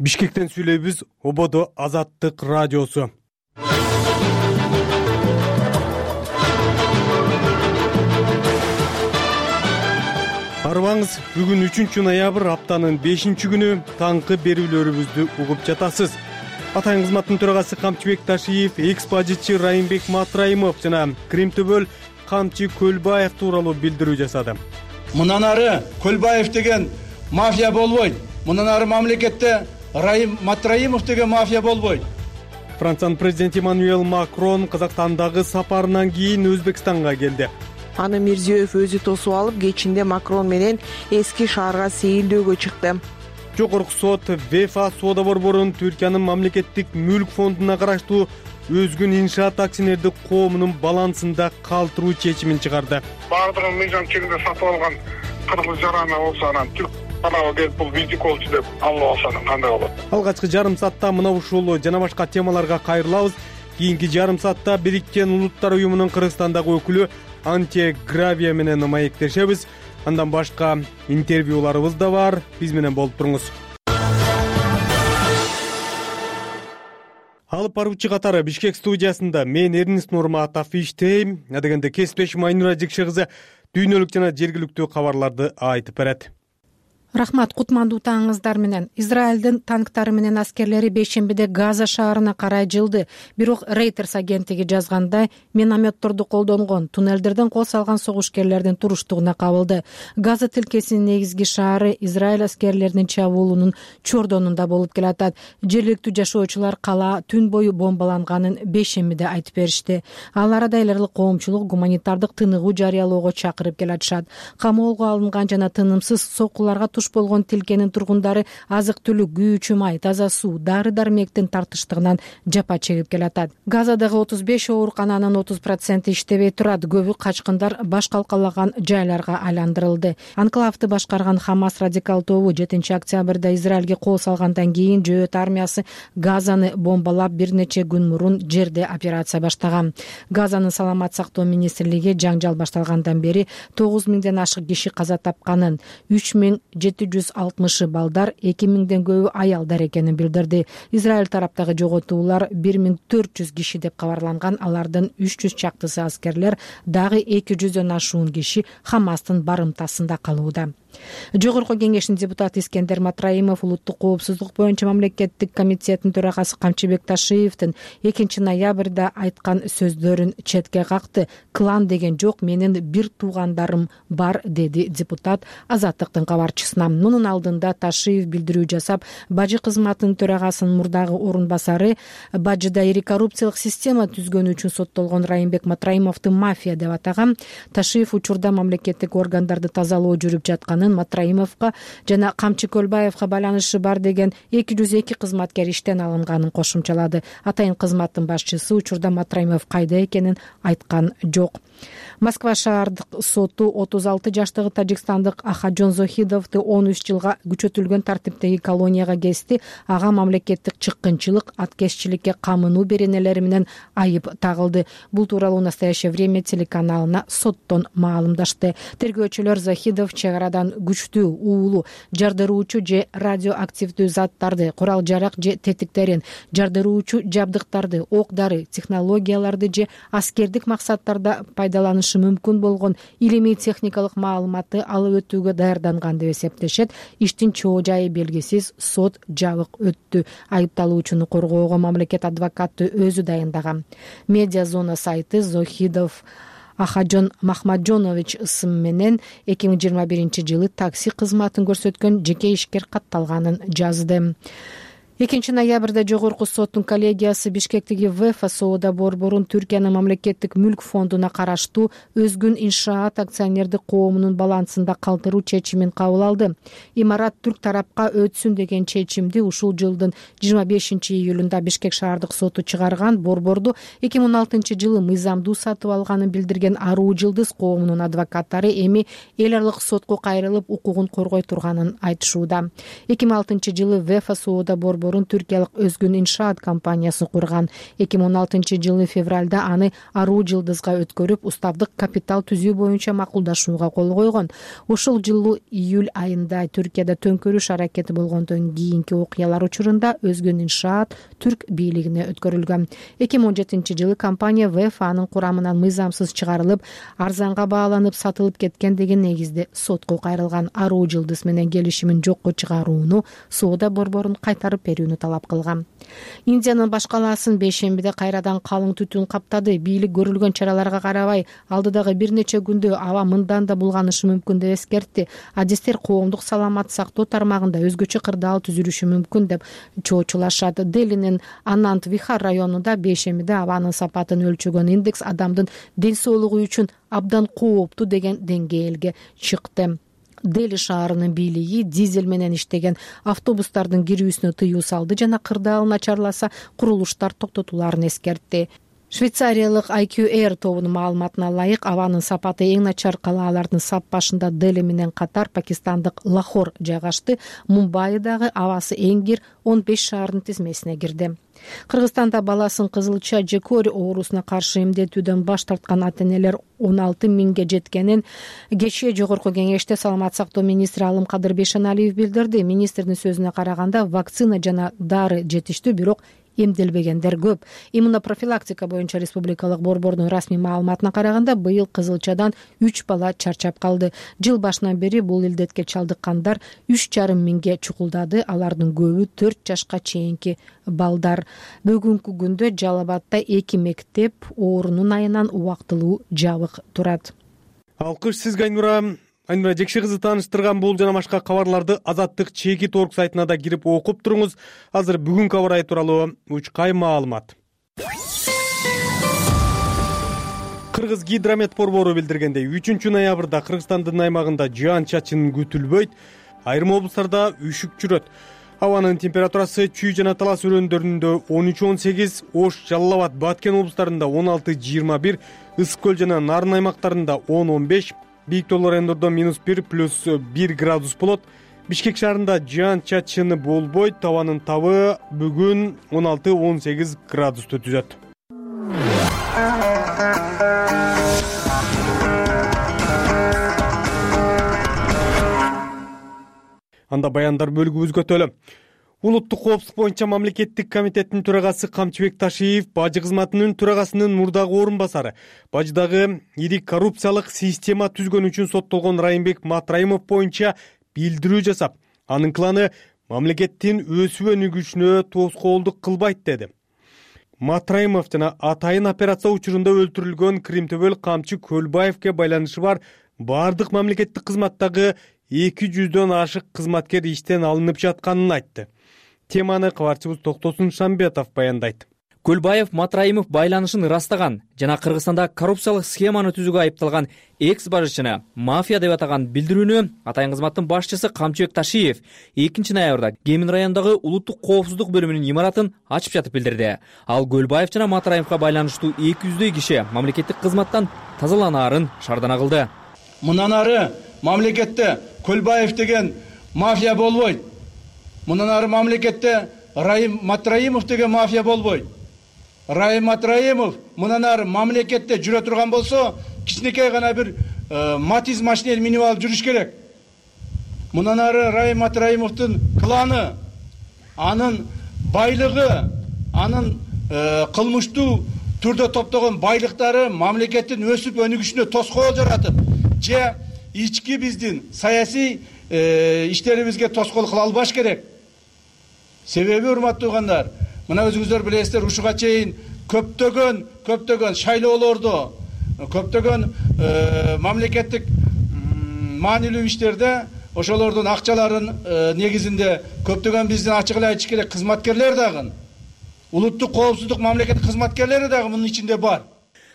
Бишкектен сүйлөйбүз. Ободо Азаттык радиосу. Арыбаңыз, бүгүн 3 ноябрь, аптанын 5-күнү, таңкы берүүлөрүбүздү угуп жатасыз. Атайын кызматтын төрагасы Камчыбек Ташиев, экс-бажычы Райымбек Матраимов жана Кримтөбөл Камчы Көлбаев тууралуу билдирүү жасады. Мындан ары Көлбаев деген мафия болбойт. Мындан ары мамлекетте Райым Матраимов деген мафия болбойт. Франциянын президенти Эммануэль Макрон Казакстандагы сапарынан кийин Өзбекстанга келди. Аны Мирзиёев өзү тосуп алып, кечинде Макрон менен эски шаарга сейилдөөгө чыкты. Жогорку сот ВЕФА соода борборун Түркиянын мамлекеттик мүлк фондуна караштуу Өзгүн иншаат акционердик коомунун балансында калтыруу чечимин чыгарды. Баардыгын мыйзам чегинде сатып алган кыргыз жарана болсо, анан түрк каналы келип бул визиколчу деп алып алса кандай болот? Алгачкы жарым саатта мына ушул жана башка темаларга кайрылабыз. Кийинки жарым саатта Бириккен Улуттар уюмунун Кыргызстандагы өкүлү Антия Гравия менен маектешебиз. Андан башка интервьюларыбыз да бар. Биз менен болуп туруңуз. Алып баруучу катары Бишкек студиясында мен Эрнест Нурматов иштейм. Адегенде кесиптешим Айнура Жекшегиза дүйнөлүк жана жергиликтүү кабарларды айтып берет. Рахмат, кутмандуу таңыңыздар менен. Израилдин танктары менен аскерлери бейшембиде Газа шаарына карай жылды. Бирок Reuters агенттиги жазгандай, минометторду колдонгон, туннелдерден кол салган согушкерлердин туруштугуна кабылды. Газа тилкесинин негизги шаары Израиль аскерлеринин чабуулунун чордонунда болуп келатат. Жергиликтүү жашоочулар кала түн бою бомбаланганын бейшембиде айтып беришти. Ал арада эл аралык коомчулук гуманитардык тыныгуу жарыялоого чакырып келатышат. Камоого алынган жана тынымсыз соккуларга болгон тилкенин тургундары азык-түлүк, күйүүчү май, таза суу, дары-дармектин тартыштыгынан жапа чегип келатат. Газадагы 35 оорукананын 30% иштебей турат. Көбү качкындар баш калкалаган жайларга айландырылды. Анклавды башкарган Хамас радикал тобу 7 октябрда Израилге кол салгандан кийин Жөөт армиясы Газаны бомбалап бир нече күн мурун жерде операция баштаган. Газанын саламат сактоо министрлиги жаңжал башталгандан бери 9000ден ашык киши каза тапканын, 3760 балдар, 2000ден көбү аялдар экенин билдирди. Израиль тараптагы жоготуулар 1400 киши деп кабарланган. Алардын 300 чактысы аскерлер, дагы 200дөн ашуун киши Хамастын барымтасында калууда. Жогорку кеңештин депутаты Искендер Матраимов улуттук коопсуздук боюнча мамлекеттик комитетинин төрагасы Камчыбек Ташиевдин 2 ноябрда айткан сөздөрүн четке какты. Клан деген жок, менин бир туугандарым бар, деди депутат Азаттыктын кабарчысына. Мунун алдында Ташиев билдирүү жасап, бажы кызматынын төрагасынын мурдагы орун басары бажыда ири коррупциялык система түзгөнү үчүн соттолгон Райымбек Матраимовду мафия деп атаган. Ташиев учурда мамлекеттик органдарды тазалоо жүрүп жаткан Матраимовго жана Камчы Көлбаевга байланышы бар деген 202 кызматкер иштен алынганын кошумчалады. Атайын кызматтын башчысы учурда Матраимов кайда экенин айткан жок. Москва шаардык соту 36 жаштагы тажикстандык Ахаджон Зохидовду 13 жылга күчөтүлгөн тартиптеги колонияга кести. Ага мамлекеттик чыккынчылык, аткезчиликке камынуу беренелери менен айып тагылды. Бул тууралуу Настоящее время телеканалына соттон маалымдашты. Тергөөчүлөр Зохидов чек арадан күчтүү, уулуу, жардыруучу же радиоактивдүү заттарды, курал жарак же тетиктерин, жардыруучу жабдыктарды, ок-дары, технологияларды же аскердик максаттарда пайдаланышы мүмкүн болгон илимий техникалык маалыматты алып өтүүгө даярданган деп эсептешет. Иштин чоо жайы белгисиз, сот жабык өттү. Айыпталуучуну коргоого мамлекет адвокаты өзү дайындаган. Медиа зона сайты Зохидов Ахаджон Махмаджонович ысым менен 2021 жылы такси кызматын көрсөткөн жеке ишкер катталганын жазды. 2 ноябрда жогорку соттун коллегиясы Бишкектеги ВЕФА соода борборун Түркиянын мамлекеттик мүлк фондуна караштуу Өзгүн иншаат акционердик коомунун балансында калтыруу чечимин кабыл алды. Имарат түрк тарапка өтсүн деген чечимди ушул жылдын 25 июлунда Бишкек шаардык соту чыгарган. Борборду 2016 жылы мыйзамдуу сатып алганын билдирген Аруу Жылдыз коомунун адвокаттары эми эл аралык сотко кайрылып укугун коргой турганын айтышууда. 2006 жылы ВЕФА соода борбору орун түркиялык Өзгүн иншаат компаниясын курган. 2016-жылы февралда аны Аруу Жылдызга өткөрүп, уставдык капитал түзүү боюнча макулдашууга кол койгон. Ушул жылы июль айында Түркияда төңкөрүш аракети болгондон кийинки окуялар учурунда Өзгүн иншаат түрк бийлигине өткөрүлгөн. 2017-жылы компания ВФАнын курамынан мыйзамсыз чыгарылып, арзанга бааланып сатылып кеткен деген негизде сотко кайрылган. Аруу Жылдыз менен келишимин жокко чыгарууну, соода борборун кайтарып берүүнү талап кылган. Индиянын баш калаасын бейшембиде кайрадан калың түтүн каптады. Бийлик көрүлгөн чараларга карабай, алдыдагы бир нече күндө аба мындан да булганышы мүмкүн деп эскертти. Адистер коомдук саламат сактоо тармагында өзгөчө кырдаал түзүлүшү мүмкүн деп чоочулашат. Делинин Анант Вихар районунда бейшембиде абанын сапатын өлчөгөн индекс адамдын ден соолугу үчүн абдан кооптуу деген деңгээлге чыкты. Дели шаарынын бийлиги дизель менен иштеген автобустардын кирүүсүнө тыюу салды жана кырдаал начарласа курулуштар токтотуларын эскертти. Швейцариялык IQ Air тобунун маалыматына ылайык, абанын сапаты эң начар калаалардын сап башында Дели менен катар пакистандык Лахор жайгашты. Мумбайдагы абасы эң кир 15 шаардын тизмесине кирди. Кыргызстанда баласын кызылча же кори оорусуна каршы эмдетүүдөн баш тарткан ата-энелер 16 миңге жеткенин кечээ Жогорку Кеңеште саламат сактоо министри Алым Кадыр Бейшеналиев билдирди. Министрдин сөзүнө караганда, вакцина жана дары жетиштүү, бирок эмделбегендер көп. Иммунопрофилактика боюнча республикалык борбордун расмий маалыматына караганда, быйыл кызылчадан 3 бала чарчап калды. Жыл башынан бери бул илдетке чалдыккандар 3,5 миңге чукулдады. Алардын көбү 4 жашка чейинки балдар. Бүгүнкү күндө Жалал Абадта 2 мектеп оорунун айынан убактылуу жабык турат. Алкыш сизге Айнура Жекши кызы тааныштырган бул жана башка кабарларды Азаттык чекит орг сайтына да кирип окуп туруңуз. Азыр бүгүнкү аба ырайы тууралуу учкай маалымат. Кыргыз гидромет борбору билдиргендей, 3-ноябрда Кыргызстандын аймагында жаан-чачын күтүлбөйт, айрым облустарда үшүк жүрөт. Абанын температурасы Чүй жана Талас өрөөндөрүндө 13-18, Ош, Жалал Абад, Баткен облустарында 16-21, Ысык көл жана Нарын аймактарында 10-15, бийик тоолуу райондордо -1 +1 градус болот. Бишкек шаарында жаан-чачыны болбойт, табанын табы бүгүн 16-18 градусту түзөт. Анда баяндар бөлүгүбүзгө өтөлү. Улуттук коопсуздук боюнча мамлекеттик комитеттин төрагасы Камчыбек Ташиев бажы кызматынын төрагасынын мурдагы орун басары, бажыдагы ири коррупциялык система түзгөн үчүн соттолгон Райымбек Матраимов боюнча билдирүү жасап, анын кланы мамлекеттин өсүп өнүгүшүнө тоскоолдук кылбайт деди. Матраимов жана атайын операция учурунда өлтүрүлгөн Кримтөбөл Камчы Көлбаевге байланышы бар бардык мамлекеттик кызматтагы 200дөн ашык кызматкер иштен алынып жатканын айтты. Теманы кабарчыбыз Токтосун Шамбетов баяндайт. Көлбаев Матраимов байланышын ырастаган жана Кыргызстанда коррупциялык схеманы түзүүгө айыпталган экс-бажычыны мафия деп атаган билдирүүнү атайын кызматтын башчысы Камчыбек Ташиев 2 ноябрда Кемин районундагы улуттук коопсуздук бөлүмүнүн имаратын ачып жатып билдирди. Ал Көлбаев жана Матраимовго байланыштуу 200дөй киши мамлекеттик кызматтан тазаланаарын шаардана кылды. Мындан ары мамлекетте Көлбаев деген мафия болбойт. Мындан ары мамлекетте Райым Матраимов деген мафия болбойт. Райым Матраимов мындан ары мамлекетте жүрө турган болсо, кичинекей гана бир Матиз машинени минип алып жүрүш керек. Мындан ары Райым Матраимовдун кланы, анын байлыгы, анын кылмыштуу түрдө топтогон байлыктары мамлекеттин өсүп өнүгүшүнө тоскоол жаратып, же ички биздин саясий иштерибизге тоскоол кыла албаш керек. Себеби, урматтуу угандар, мына өзүңүздөр билесиздер, ушуга чейин көптөгөн шайлоолордо, көптөгөн мамлекеттик маанилүү иштерде ошолордун акчаларын негизинде көптөгөн биздин ачык эле айтыш керек кызматкерлер дагы, улуттук коопсуздук мамлекеттик кызматкерлери дагы мунун ичинде бар.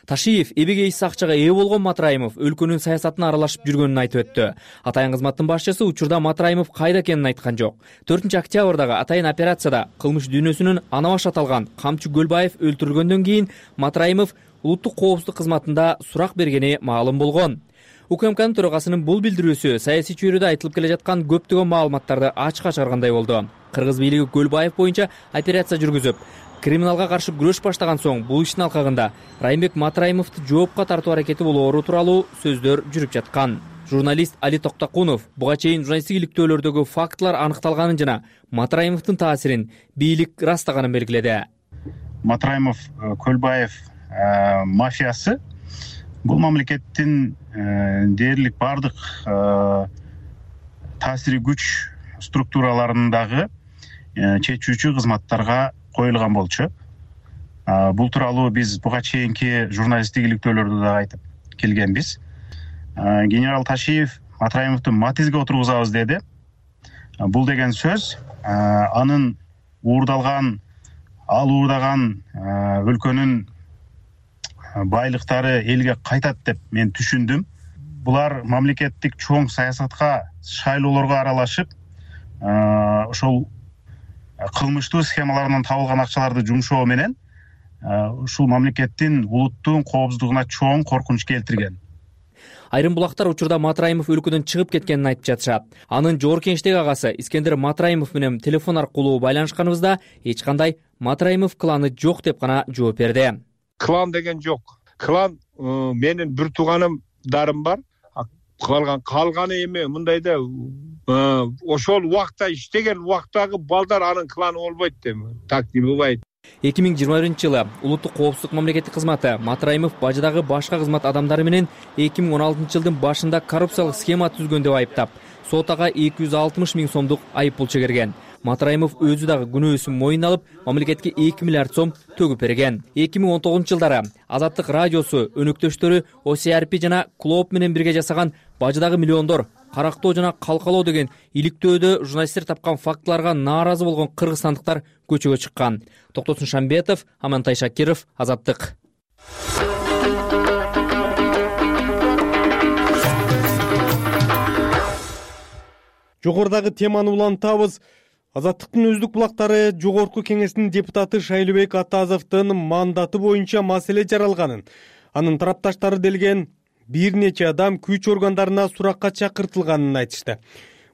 Ташиев эбегейсиз акчага ээ болгон Матраимов өлкөнүн саясатына аралашып жүргөнүн айтып өттү. Атайын кызматтын башчысы учурда Матраимов кайда экенин айткан жок. 4-октябрдагы атайын операцияда кылмыш дүйнөсүнүн ана баш аталган Камчы Көлбаев өлтүрүлгөндөн кийин Матраимов улуттук коопсуздук кызматында сурак бергени маалым болгон. УКМКнын төрагасынын бул билдирүүсү саясий чөйрөдө айтылып келе жаткан көптөгөн маалыматтарды ачыкка чыгаргандай болду. Кыргыз бийлиги Көлбаев боюнча операция жүргүзүп, криминалга каршы күрөш баштаган соң бул иштин алкагында Райымбек Матраимовду жоопко тартуу аракети болоору тууралуу сөздөр жүрүп жаткан. Журналист Али Токтокунов буга чейин журналисттик иликтөөлөрдөгү фактылар аныкталганын жана Матраимовдун таасирин бийлик ырастаганын белгиледи. Матраимов Көлбаев мафиясы бул мамлекеттин дээрлик бардык таасири күч структураларындагы чечүүчү кызматтарга коюлган болчу. Бул тууралуу биз буга чейинки журналисттик иликтөөлөрдө да айтып келгенбиз. Генерал Ташиев Матраимовду матизге отургузабыз деди. Бул деген сөз анын уурдаган өлкөнүн байлыктары элге кайтат деп мен түшүндүм. Булар мамлекеттик чоң саясатка, шайлоолорго аралашып, ошол кылмыштуу схемаларынан табылган акчаларды жумшоо менен ушул мамлекеттин улуттун коопсуздугуна чоң коркунуч келтирген. Айрым булактар учурда Матраимов өлкөдөн чыгып кеткенин айтып жатышат. Анын жогорку кеңештеги агасы Искендер Матраимов менен телефон аркылуу байланышканыбызда эч кандай Матраимов кланы жок деп гана жооп берди. Клан деген жок. Клан менин бир тууганымдарым бар. Калганы эми мындайда ошол убакта иштеген убактагы балдар анын кланы болбойт деп. Так дебейт. 2021-жылы улуттук коопсуздук мамлекеттик кызматы Матраимов бажыдагы башка кызмат адамдары менен 2016-жылдын башында коррупциялык схема түзгөн деп айыптап, сотага 260 000 сомдук айыппул чегерген. Матраимов өзү дагы күнөөсүн мойнуна алып, мамлекетке 2 миллиард сом төгүп берген. 2019-жылдары Азаттык радиосу өнөктөштөрү OCRP жана Клоп менен бирге жасаган бажыдагы миллиондор карактоо жана калкалоо деген иликтөөдө журналисттер тапкан фактыларга нааразы болгон кыргызстандыктар көчөгө чыккан. Токтосун Шамбетов, Амантай Шакиров, Азаттык. Жогорудагы теманы улантабыз. Азаттыктын өздүк булактары жогорку кеңештин депутаты Шайлообек Атазовдун мандаты боюнча маселе жаралганын, анын тарапташтары делген бир нече адам күч органдарына суракка чакыртылганын айтышты.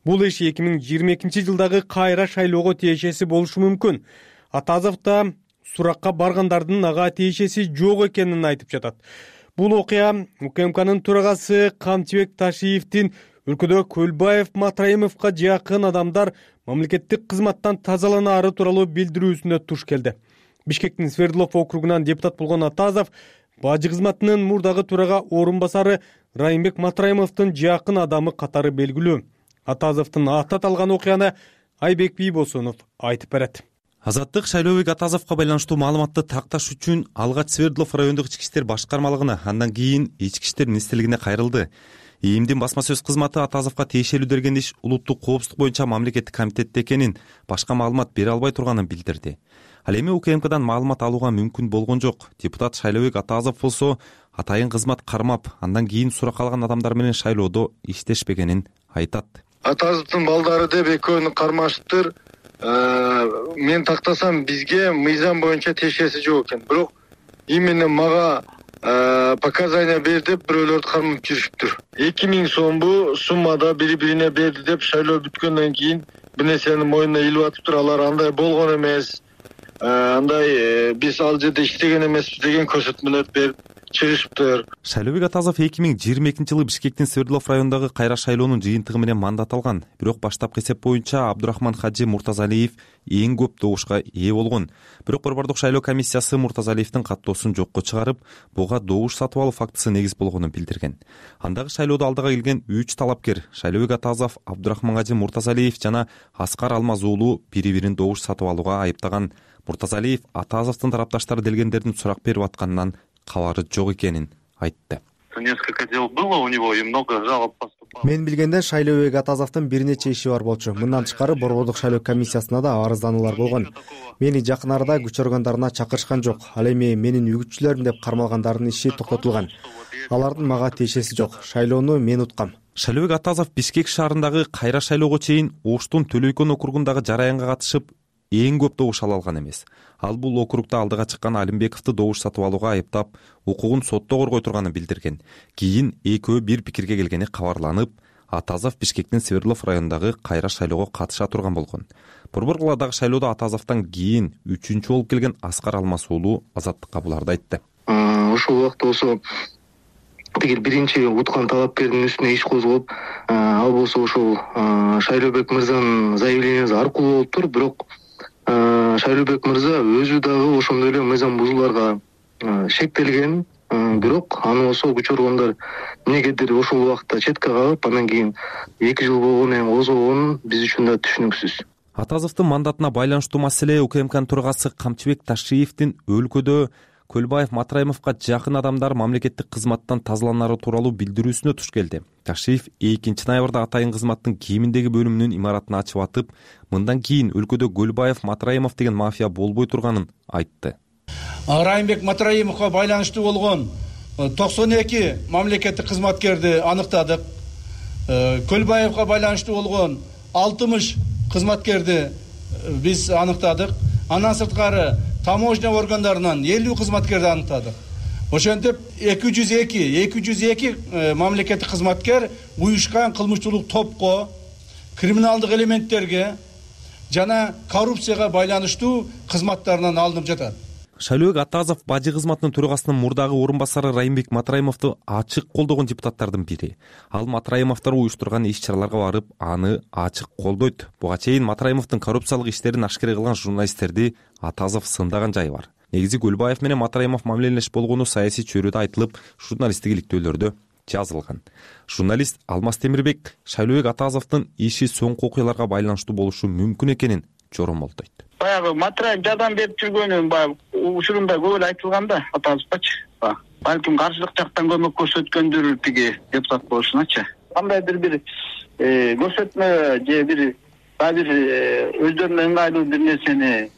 Бул иш 2022-жылдагы кайра шайлоого тиешеси болушу мүмкүн. Атазов да суракка баргандардын ага тиешеси жок экенин айтып жатат. Бул окуя УКМКнын төрагасы Камчыбек Ташиевдин өлкөдө Көлбаев Матраимовго жакын адамдар мамлекеттик кызматтан тазаланаары тууралуу билдирүүсүнө туш келди. Бишкектин Свердлов округунан депутат болгон Атазов бажы кызматынын мурдагы төрага орун басары Райымбек Матраимовдун жакын адамы катары белгилүү. Атазовдун аты аталган окуяны Айбек Бийбосунов айтып берет. Азаттык Шайлообек Атазовго байланыштуу маалыматты такташ үчүн алгач Свердлов райондук ички иштер башкармалыгына, андан кийин ички иштер министрлигине кайрылды. ИИМдин басма сөз кызматы Атазовго тиешелүү деген иш улуттук коопсуздук боюнча мамлекеттик комитетте экенин, башка маалымат бере албай турганын билдирди. Ал эми УКМКдан маалымат алууга мүмкүн болгон жок. Депутат Шайлообек Атазов болсо атайын кызмат кармап, андан кийин сурак алган адамдар менен шайлоодо иштешпегенин айтат. Атазовдун балдары деп экөөнү кармаштыр. Мен тактасам бизге мыйзам боюнча тиешеси жок экен. Бирок именно мага показания бер деп бирөөлөрдү кармап жүрүшүптүр. 2000 сомбу суммада бири-бирине берди деп шайлоо бүткөндөн кийин бир нерсени мойнуна илип атыптыр. Алар андай болгон эмес. Андай биз ал жерде иштеген эмеспиз деген көрсөтмөлөр берип чыгышыптыр. Шайлообек Атазов 2022-жылы Бишкектин Свердлов районундагы кайра шайлоонун жыйынтыгы менен мандат алган. Бирок баштапкы эсеп боюнча Абдурахман Хаджи Муртазалиев эң көп добушка ээ болгон. Бирок Борбордук шайлоо комиссиясы Муртазалиевдин каттоосун жокко чыгарып, буга добуш сатып алуу фактысы негиз болгонун билдирген. Андагы шайлоодо алдыга келген 3 талапкер Шайлообек Атазов, Абдурахман Хаджи Муртазалиев жана Аскар Алмаз уулу бири-бирин добуш сатып алууга айыптаган. Муртазалиев Атазовдун тарапташтары делгендердин сурак берип атканынан кабары жок экенин айтты. Несколько дел было у него и много жалоб поступало. Мен билгенде Шайлообек Атазовдун бир нече иши бар болчу. Мындан тышкары Борбордук шайлоо комиссиясына да арыздануулар болгон. Мени жакын арада күч органдарына чакырышкан жок. Ал эми менин үгүтчүлөрүм деп кармалгандардын иши токтотулган. Алардын мага тиешеси жок. Шайлоону мен уткам. Шайлообек Атазов Бишкек шаарындагы кайра шайлоого чейин Оштун Төлөйкөн округундагы жараянга катышып, эң көп добуш ала алган эмес. Ал бул округда алдыга чыккан Алимбековду добуш сатып алууга айыптап, укугун сотто коргой турганын билдирген. Кийин экөө бир пикирге келгени кабарланып, Атазов Бишкектин Свердлов районундагы кайра шайлоого катыша турган болгон. Борбор калаадагы шайлоодо Атазовдон кийин 3-чү болуп келген Аскар Алмаз уулу Азаттыкка буларды айтты. Ошол убакта болсо тигил биринчи уткан талапкердин үстүнө иш козгоп, ал болсо ошол Шайлообек мырзанын заявлениясы аркылуу болуптур. Бирок Шайлообек мырза өзү дагы ошондой эле мыйзам бузууларга шектелген. Бирок аны болсо күчөргөндөр эмнегедир ошол убакта четке калып, андан кийин 2 жыл болгондон кийин козгогон биз үчүн да түшүнүксүз. Атазовдун мандатына байланыштуу маселе УКМКнын төрагасы Камчыбек Ташиевдин өлкөдө Көлбаев Матраимовго жакын адамдар мамлекеттик кызматтан тазаланары тууралуу билдирүүсүнө туш келди. Ташиев 2 ноябрда атайын кызматтын кийиминдеги бөлүмүнүн имаратын ачып атып, мындан кийин өлкөдө Көлбаев Матраимов деген мафия болбой турганын айтты. Райымбек Матраимовго байланыштуу болгон 92 мамлекеттик кызматкерди аныктадык. Көлбаевго байланыштуу болгон 60 кызматкерди биз аныктадык. Андан сырткары таможня органдарынан 50 кызматкерди аныктадык. Ошентип 202 мамлекеттик кызматкер уюшкан кылмыштуулук топко, криминалдык элементтерге жана коррупцияга байланыштуу кызматтарынан алынып жатат. Шайлообек Атазов бажы кызматынын төрагасынын мурдагы орун басары Райымбек Матраимовду ачык колдогон депутаттардын бири. Ал Матраимовдор уюштурган иш-чараларга барып, аны ачык колдойт. Буга чейин Матраимовдун коррупциялык иштерин ашкере кылган журналисттерди Атазов сындаган жайы бар. Негизи Көлбаев менен Матраимов мамилелеш болгону саясий чөйрөдө айтылып, журналисттик иликтөөлөрдө жазылган. Журналист Алмаз Темирбек Шайлообек Атазовдун иши соңку окуяларга байланыштуу болушу мүмкүн экенин жоромолдойт. Баягы Матраев жардам берип жүргөнү баягы учурунда көп эле айтылган да, Атазовчу. Балким каршылык жактан көмөк көрсөткөндүр тиги депутат болушуначы. Кандайдыр бир көрсөтмө же бир өздөрүнө ыңгайлуу бир нерсени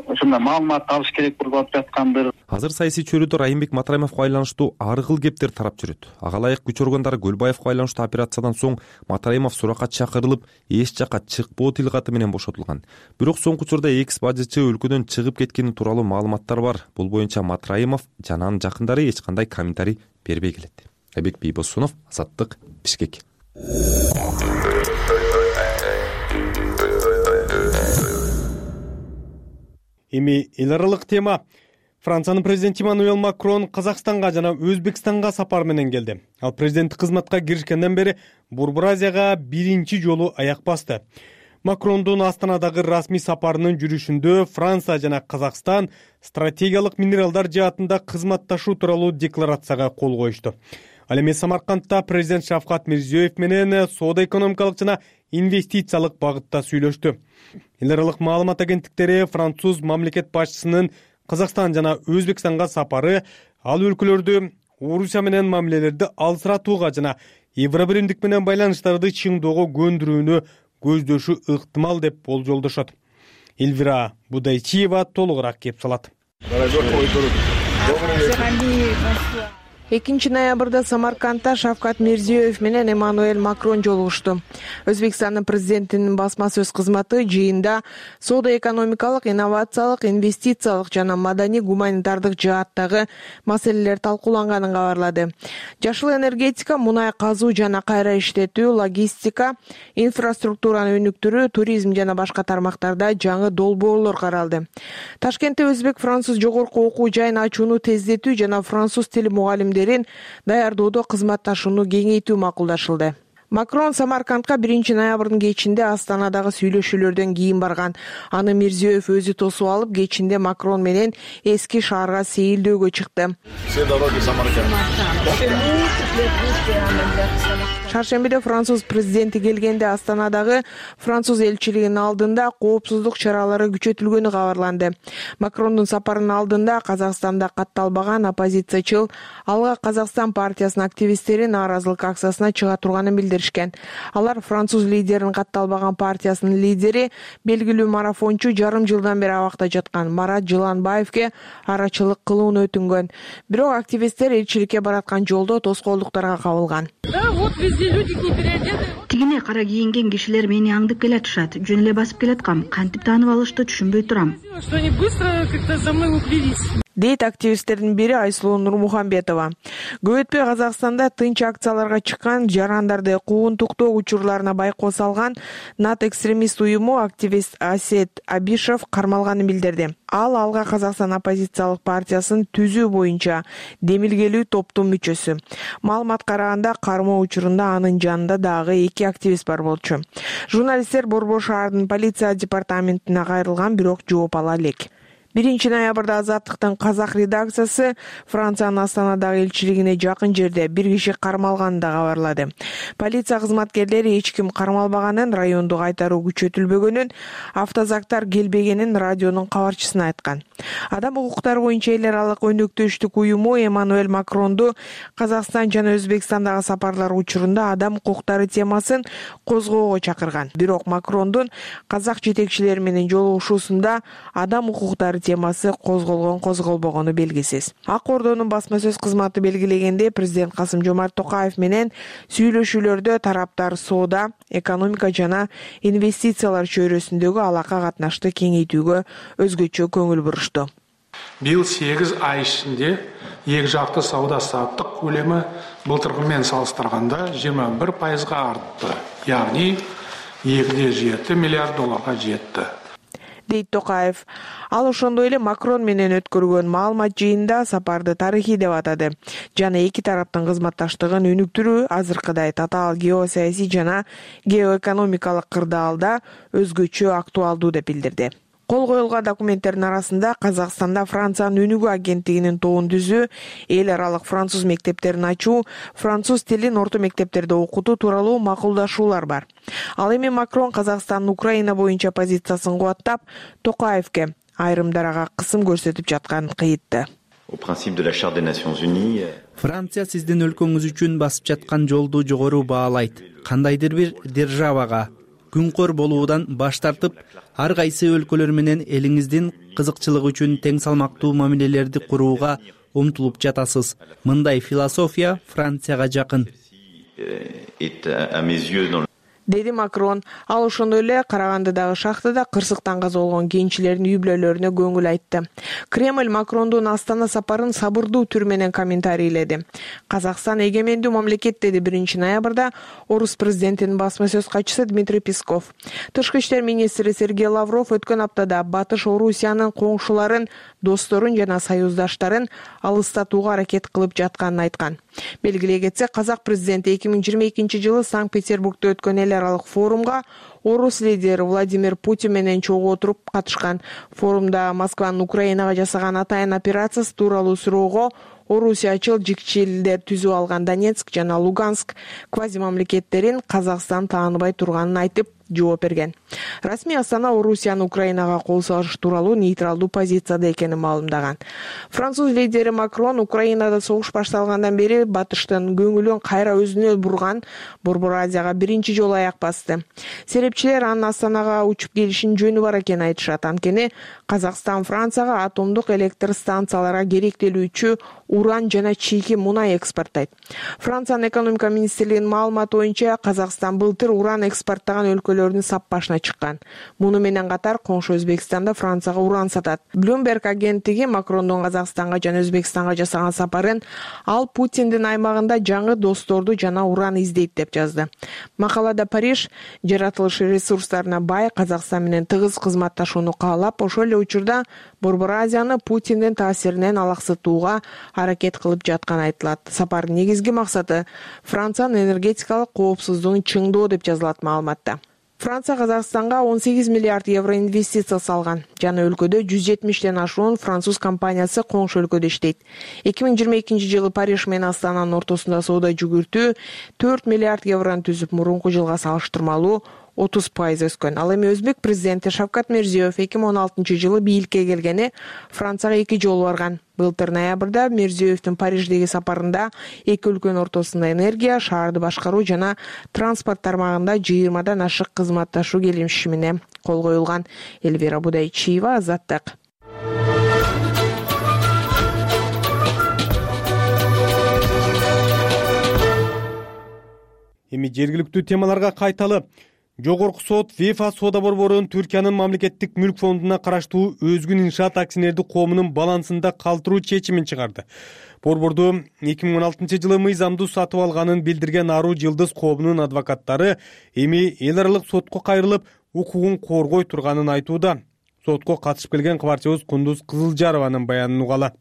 ошондой маалымат алыш керек болуп жаткандыр. Азыр саясий чөйрөдө Райымбек Матраимовго байланыштуу ар кыл кептер тарап жүрөт. Ага ылайык күч органдары Көлбаевго байланыштуу операциядан соң Матраимов суракка чакырылып, эч жакка чыкпоо тил каты менен бошотулган. Бирок соңку учурда экс-бажычы өлкөдөн чыгып кеткени тууралуу маалыматтар бар. Бул боюнча Матраимов жана анын жакындары эч кандай комментарий бербей келет. Айбек Бийбосунов, Азаттык, Бишкек. Эми эл аралык тема. Франциянын президенти Эммануэль Макрон Казакстанга жана Өзбекстанга сапар менен келди. Ал президенттик кызматка киришкенден бери Борбор Азияга биринчи жолу аяк басты. Макрондун Астанадагы расмий сапарынын жүрүшүндө Франция жана Казакстан стратегиялык минералдар жаатында кызматташуу тууралуу декларацияга кол коюшту. Ал эми Самаркандта президент Шавкат Мирзиёев менен соода-экономикалык жана инвестициялык багытта сүйлөштү. Эл аралык маалымат агенттиктери француз мамлекет башчысынын Казакстан жана Өзбекстанга сапары ал өлкөлөрдү Орусия менен мамилелерди алсыратууга жана Евробиримдик менен байланыштарды чыңдоого көндүрүүнү көздөшү ыктымал деп болжолдошот. Эльвира Будайчиева толугураак кеп салат. 2 ноябрда Самаркандта Шавкат Мирзиёев менен Эммануэль Макрон жолугушту. Өзбекстандын президентинин басма сөз кызматы жыйында соода-экономикалык, инновациялык, инвестициялык жана маданий-гуманитардык жааттагы маселелер талкууланганын кабарлады. Жашыл энергетика, мунай казуу жана кайра иштетүү, логистика, инфраструктураны өнүктүрүү, туризм жана башка тармактарда жаңы долбоорлор каралды. Ташкентте өзбек-француз жогорку окуу жайын ачууну тездетүү жана француз тили мугалимдерин даярдоодо кызматташууну кеңейтүү макулдашылды. Макрон Самаркандка 1 ноябрдын кечинде Астанадагы сүйлөшүүлөрдөн кийин барган. Аны Мирзиёев өзү тосуп алып, кечинде Макрон менен эски шаарга сейилдөөгө чыкты. Шаршембиде француз президенти келгенде Астанадагы француз элчилигинин алдында коопсуздук чаралары күчөтүлгөнү кабарланды. Макрондун сапарынын алдында Казакстанда катталбаган оппозициячыл Алга Казакстан партиясынын активисттери нааразылык акциясына чыга турганын билдиришкен. Алар француз лидеринин катталбаган партиясынын лидери, белгилүү марафончу жарым жылдан бери абакта жаткан Марат Жыланбаевке арачылык кылууну өтүнгөн. Бирок активисттер элчиликке бараткан жолдо тоскоолдуктарга кабылган. Да, вот везде Тигине кара кийинген кишилер мени аңдып келатышат. Жөн эле басып келаткам. Кантип таанып алышты түшүнбөй турам. Дейт активисттердин бири Айсулуу Нурмухамбетова. Көп өтпөй Казакстанда тынч акцияларга чыккан жарандарды куугунтуктоо учурларына байкоо салган НАТ экстремист уюму активист Асет Абишев кармалганын билдирди. Ал Алга Казакстан оппозициялык партиясын түзүү боюнча демилгелүү топтун мүчөсү. Маалымат караганда кармоо учурунда анын жанында дагы 2 активист бар болчу. Журналисттер Борбор шаардын полиция департаментине кайрылган, бирок жооп ала элек. 1 ноябрда Азаттыктын казак редакциясы Франциянын Астанадагы элчилигине жакын жерде бир киши кармалганын да кабарлады. Полиция кызматкерлери эч ким кармалбаганын, райондо кайтаруу күчөтүлбөгөнүн, автозактар келбегенин радионун кабарчысына айткан. Адам укуктары боюнча эл аралык өнөктөштүк уюму Эммануэль Макронду Казакстан жана Өзбекстандагы сапарлар учурунда адам укуктары темасын козгоого чакырган. Бирок Макрондун казак жетекчилери менен жолугушуусунда адам укуктары темасы козголбогону белгисиз. Ак Ордонун басма сөз кызматы белгилегенде, президент Касым-Жомарт Токаев менен сүйлөшүүлөрдө тараптар соода, экономика жана инвестициялар чөйрөсүндөгү алака катнашты кеңейтүүгө өзгөчө көңүл бурушту. Быйыл 8 ай ичинде эки жакты сауда саттык көлөмү былтыркы менен салыштырганда 21% артты. Яғни 2,7 миллиард долларга жетти, дейт Токаев. Ал ошондой эле Макрон менен өткөргөн маалымат жыйында сапарды тарыхый деп атады жана эки тараптын кызматташтыгын өнүктүрүү азыркыдай татаал геосаясий жана геоэкономикалык кырдаалда өзгөчө актуалдуу деп билдирди. Кол коюлган документтердин арасында Казакстанда Франциянын өнүгүү агенттигинин тобун түзүү, эл аралык француз мектептерин ачуу, француз тилин орто мектептерде окутуу тууралуу макулдашуулар бар. Ал эми Макрон Казакстандын Украина боюнча позициясын кубаттап, Токаевке айрымдарга кысым көрсөтүп жатканын кыйытты. Франция сиздин өлкөңүз үчүн басып жаткан жолду жогору баалайт. Кандайдыр бир державага күнкөр болуудан баш тартып, ар кайсы өлкөлөр менен элиңиздин кызыкчылыгы үчүн тең салмактуу мамилелерди курууга умтулуп жатасыз. Мындай философия Францияга жакын, деди Макрон. Ал ошондой эле Карагандыдагы шахтада кырсыктан каза болгон кенчилердин үй бүлөлөрүнө көңүл айтты. Кремль Макрондун Астана сапарын сабырдуу түр менен комментарийледи. Казакстан эгемендүү мамлекет, деди 1 ноябрда орус президентинин басма сөз катчысы Дмитрий Песков. Тышкы иштер министри Сергей Лавров өткөн аптада Батыш Орусиянын коңшуларын, досторун жана союздаштарын алыстатууга аракет кылып жатканын айткан. Белгилей кетсек, казак президенти 2022 жылы Санкт-Петербургда өткөн эл аралык форумга орус лидери Владимир Путин менен чогуу отуруп катышкан. Форумда Москванын Украинага жасаган атайын операциясы тууралуу суроого орусиячыл жикчилдер түзүп алган Донецк жана Луганск квази мамлекеттерин Казакстан тааныбай турганын айтып жооп берген. Расмий Астана Орусиянын Украинага кол салыш тууралуу нейтралдуу позицияда экенин маалымдаган. Француз лидери Макрон Украинада согуш башталгандан бери Батыштын көңүлүн кайра өзүнө бурган, Борбор Азияга биринчи жолу аяк басты. Серепчилер анын Астанага учуп келишинин жөнү бар экенин айтышат. Анткени Казакстан Францияга атомдук электр станцияларга керектелүүчү уран жана чийки мунай экспорттойт. Франциянын экономика министрлигинин маалыматы боюнча Казакстан былтыр уран экспорттогон өлкөлөрдүн сап башына чыккан. Муну менен катар коңшу Өзбекстанда Францияга уран сатат. Bloomberg агенттиги Макрондун Казакстанга жана Өзбекстанга жасаган сапарын ал Путиндин аймагында жаңы досторду жана уран издейт деп жазды. Макалада Париж жаратылыш ресурстарына бай Казакстан менен тыгыз кызматташууну каалап, ошол эле учурда Борбор Азияны Путиндин таасиринен алаксытууга аракет кылып жатканы айтылат. Сапардын негизги максаты Франциянын энергетикалык коопсуздугун чыңдоо деп жазылат маалыматта. Франция Казакстанга 18 миллиард евро инвестиция салган. Жана өлкөдө 170тен ашуун француз компаниясы коңшу өлкөдө иштейт. 2022 жылы Париж менен Астананын ортосунда соода жүгүртүү 4 миллиард еврону түзүп, мурунку жылга салыштырмалуу 30% өскөн. Ал эми Өзбек президенти Шавкат Мирзиёев 2016 жылы бийликке келгени Францияга 2 жолу барган. Былтыр ноябрда Мирзиёевдин Париждеги сапарында эки өлкөнүн ортосунда энергия, шаарды башкаруу жана транспорт тармагында 20дан ашык кызматташуу келишимине кол коюлган. Эльвира Будайчиева, Азаттык. Эми жергиликтүү темаларга кайталы. Жогорку сот ВЕФА соода борборун Түркиянын мамлекеттик мүлк фондуна караштуу Өзгүн иншаат акционердик коомунун балансында калтыруу чечимин чыгарды. Борборду 2016-жылы мыйзамдуу сатып алганын билдирген Аруу Жылдыз коомунун адвокаттары эми эл аралык сотко кайрылып, укугун коргой турганын айтууда. Сотко катышып келген кабарчыбыз Кундуз Кызылжарованын баянын угалы.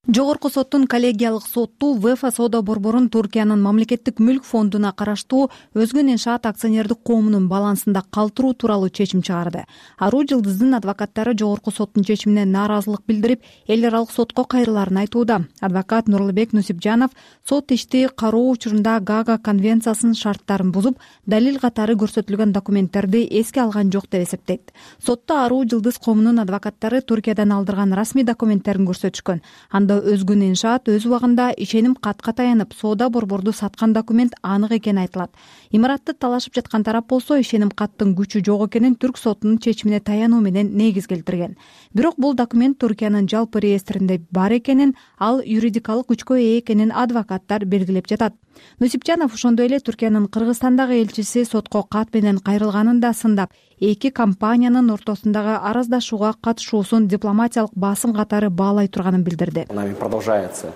Жогорку соттун коллегиялык сотту ВЕФА соода борборун Түркиянын мамлекеттик мүлк фондуна караштуу Өзгүн иншаат акционердик коомунун балансында калтыруу тууралуу чечим чыгарды. Аруу Жылдыздын адвокаттары жогорку соттун чечимине нааразылык билдирип, эл аралык сотко кайрыларын айтууда. Адвокат Нурлубек Нусипжанов сот ишти кароо учурунда Гага конвенциясынын шарттарын бузуп, далил катары көрсөтүлгөн документтерди эске алган жок деп эсептейт. Сотто Аруу Жылдыз коомунун адвокаттары Түркиядан алдырган расмий документтерин көрсөтүшкөн. Анда Өзгүн иншаат өз убагында ишеним катка таянып, соода борборду саткан документ анык экени айтылат. Имаратты талашып жаткан тарап болсо, ишеним каттын күчү жок экенин Түрк сотунун чечимине таянуу менен негиз келтирген. Бирок бул документ Түркиянын жалпы реестринде бар экенин, ал юридикалык күчкө ээ экенин адвокаттар белгилеп жатат. Нусипжанов ошондой эле Түркиянын Кыргызстандагы элчиси сотко кат менен кайрылганын да сындап, эки компаниянын ортосундагы араздашууга катышуусун дипломатиялык басым катары баалай турганын билдирди. Нами продолжается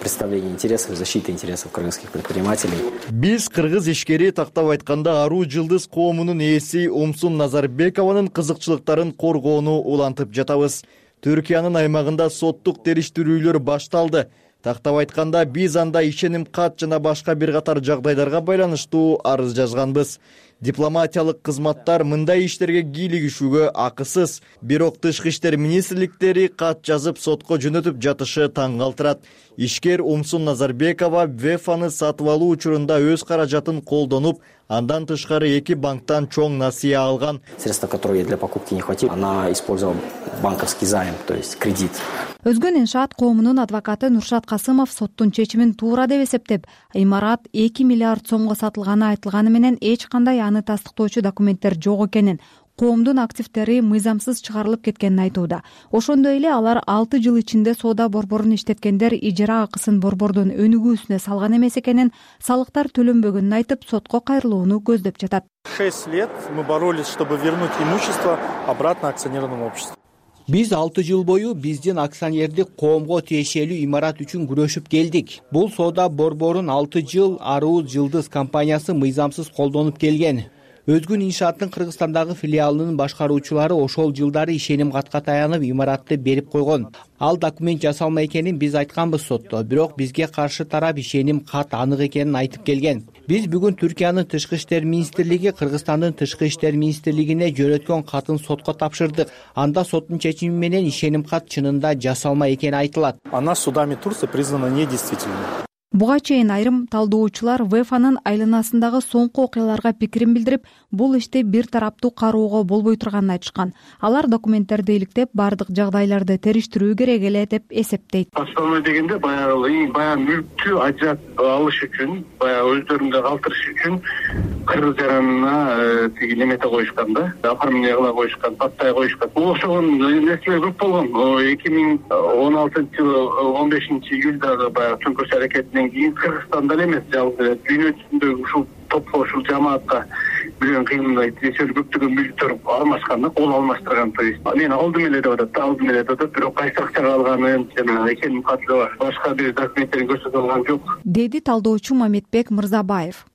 представление интересов, защита интересов кыргызских предпринимателей. Биз кыргыз ишкери тактап айтканда Аруу Жылдыз коомунун ээси Умсун Назарбекованын кызыкчылыктарын коргоону улантып жатабыз. Түркиянын аймагында соттук териштирүүлөр башталды. Тактап айтканда биз анда ишеним кат жана башка бир катар жагдайларга байланыштуу арыз жазганбыз. Дипломатиялык кызматтар мындай иштерге кийлигишүүгө акысыз. Бирок тышкы иштер министрликтери кат жазып сотко жөнөтүп жатышы таң калтырат. Ишкер Умсун Назарбекова ВЕФАны сатып алуу учурунда өз каражатын колдонуп, андан тышкары эки банктан чоң насыя алган. Средства, которые для покупки не хватило, она использовала банковский займ, то есть кредит. Өзгүн иншаат коомунун адвокаты Нуршат Касымов соттун чечимин туура деп эсептеп, имарат 2 миллиард сомго сатылганы айтылганы менен эч кандай аны тастыктоочу документтер жок экенин, коомдун активдери мыйзамсыз чыгарылып кеткенин айтууда. Ошондой эле алар 6 жыл ичинде соода борборун иштеткендер ижара акысын борбордун өнүгүүсүнө салган эмес экенин, салыктар төлөнбөгөнүн айтып, сотко кайрылууну көздөп жатат. 6 лет мы боролись, чтобы вернуть имущество обратно акционерному обществу. Биз 6 жыл бою биздин акционердик коомго тиешелүү имарат үчүн күрөшүп келдик. Бул соода борборун 6 жыл Аруу Жылдыз компаниясы мыйзамсыз колдонуп келген. Өзгүн иншааттын Кыргызстандагы филиалынын башкаруучулары ошол жылдары ишеним катка таянып имаратты берип койгон. Ал документ жасалма экенин биз айтканбыз сотто, бирок бизге каршы тарап ишеним кат анык экенин айтып келген. Биз бүгүн Түркиянын тышкы иштер министрлиги Кыргызстандын тышкы иштер министрлигине жөнөткөн катын сотко тапшырдык. Анда соттун чечими менен ишеним кат чынында жасалма экени айтылат. Она судами Турции признана недействительной. Буга чейин айрым талдоочулар ВЕФАнын айланасындагы соңку окуяларга пикирин билдирип, бул ишти бир тараптуу кароого болбой турганын айтышкан. Алар документтерди иликтеп, бардык жагдайларды териштирүү керек эле деп эсептейт. Основной дегенде баягы мүлктү ажыратып алыш үчүн, баягы өздөрүндө калтырыш үчүн кыргыз жаранына тиги немете коюшкан да, оформление кыла коюшкан, паттай коюшкан. Ошогон нерселер көп болгон. 2016-жылы 15-июлдагы баягы төңкөрүш аракетинен кийин Кыргызстанда эле эмес, жалпы дүйнө жүзүндөгү ушул топко, ушул жамаатка бирен кыймылдай тиешелүү көптөгөн мүлктөр алмашкан да, кол алмаштырган. То есть мен алдым эле деп атат, бирок кайсы акчага алганын жана ишеним каты башка бир документтерин көрсөтө алган жок, деди талдоочу Мамедбек Мырзабаев.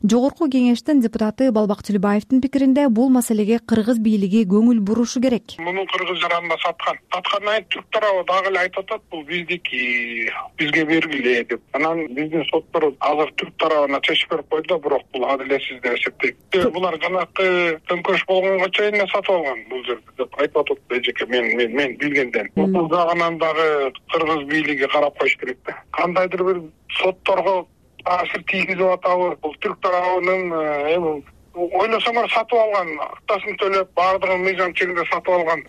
Жогорку кеңештин депутаты Балбак Тилибаевдин пикиринде бул маселеге кыргыз бийлиги көңүл бурушу керек. Муну кыргыз жаранына саткандан түрк тарабы дагы эле айтып атат, бул биздики, бизге бергиле деп. Анан биздин соттор азыр түрк тарабына чечим берип койду, бирок бул адилетсиз деп эсептейт. Булар жанакы төңкөрүш болгонго чейин сатып алган бул жерде деп айтып атат эжеке, мен билгенден. Бул жагынан дагы кыргыз бийлиги карап коюш керек да. Кандайдыр бир сотторго таасир тийгизип атабы, бул түрк тарабынын ойлосоңор сатып алган, актасын төлөп, баардыгын мыйзам чегинде сатып алган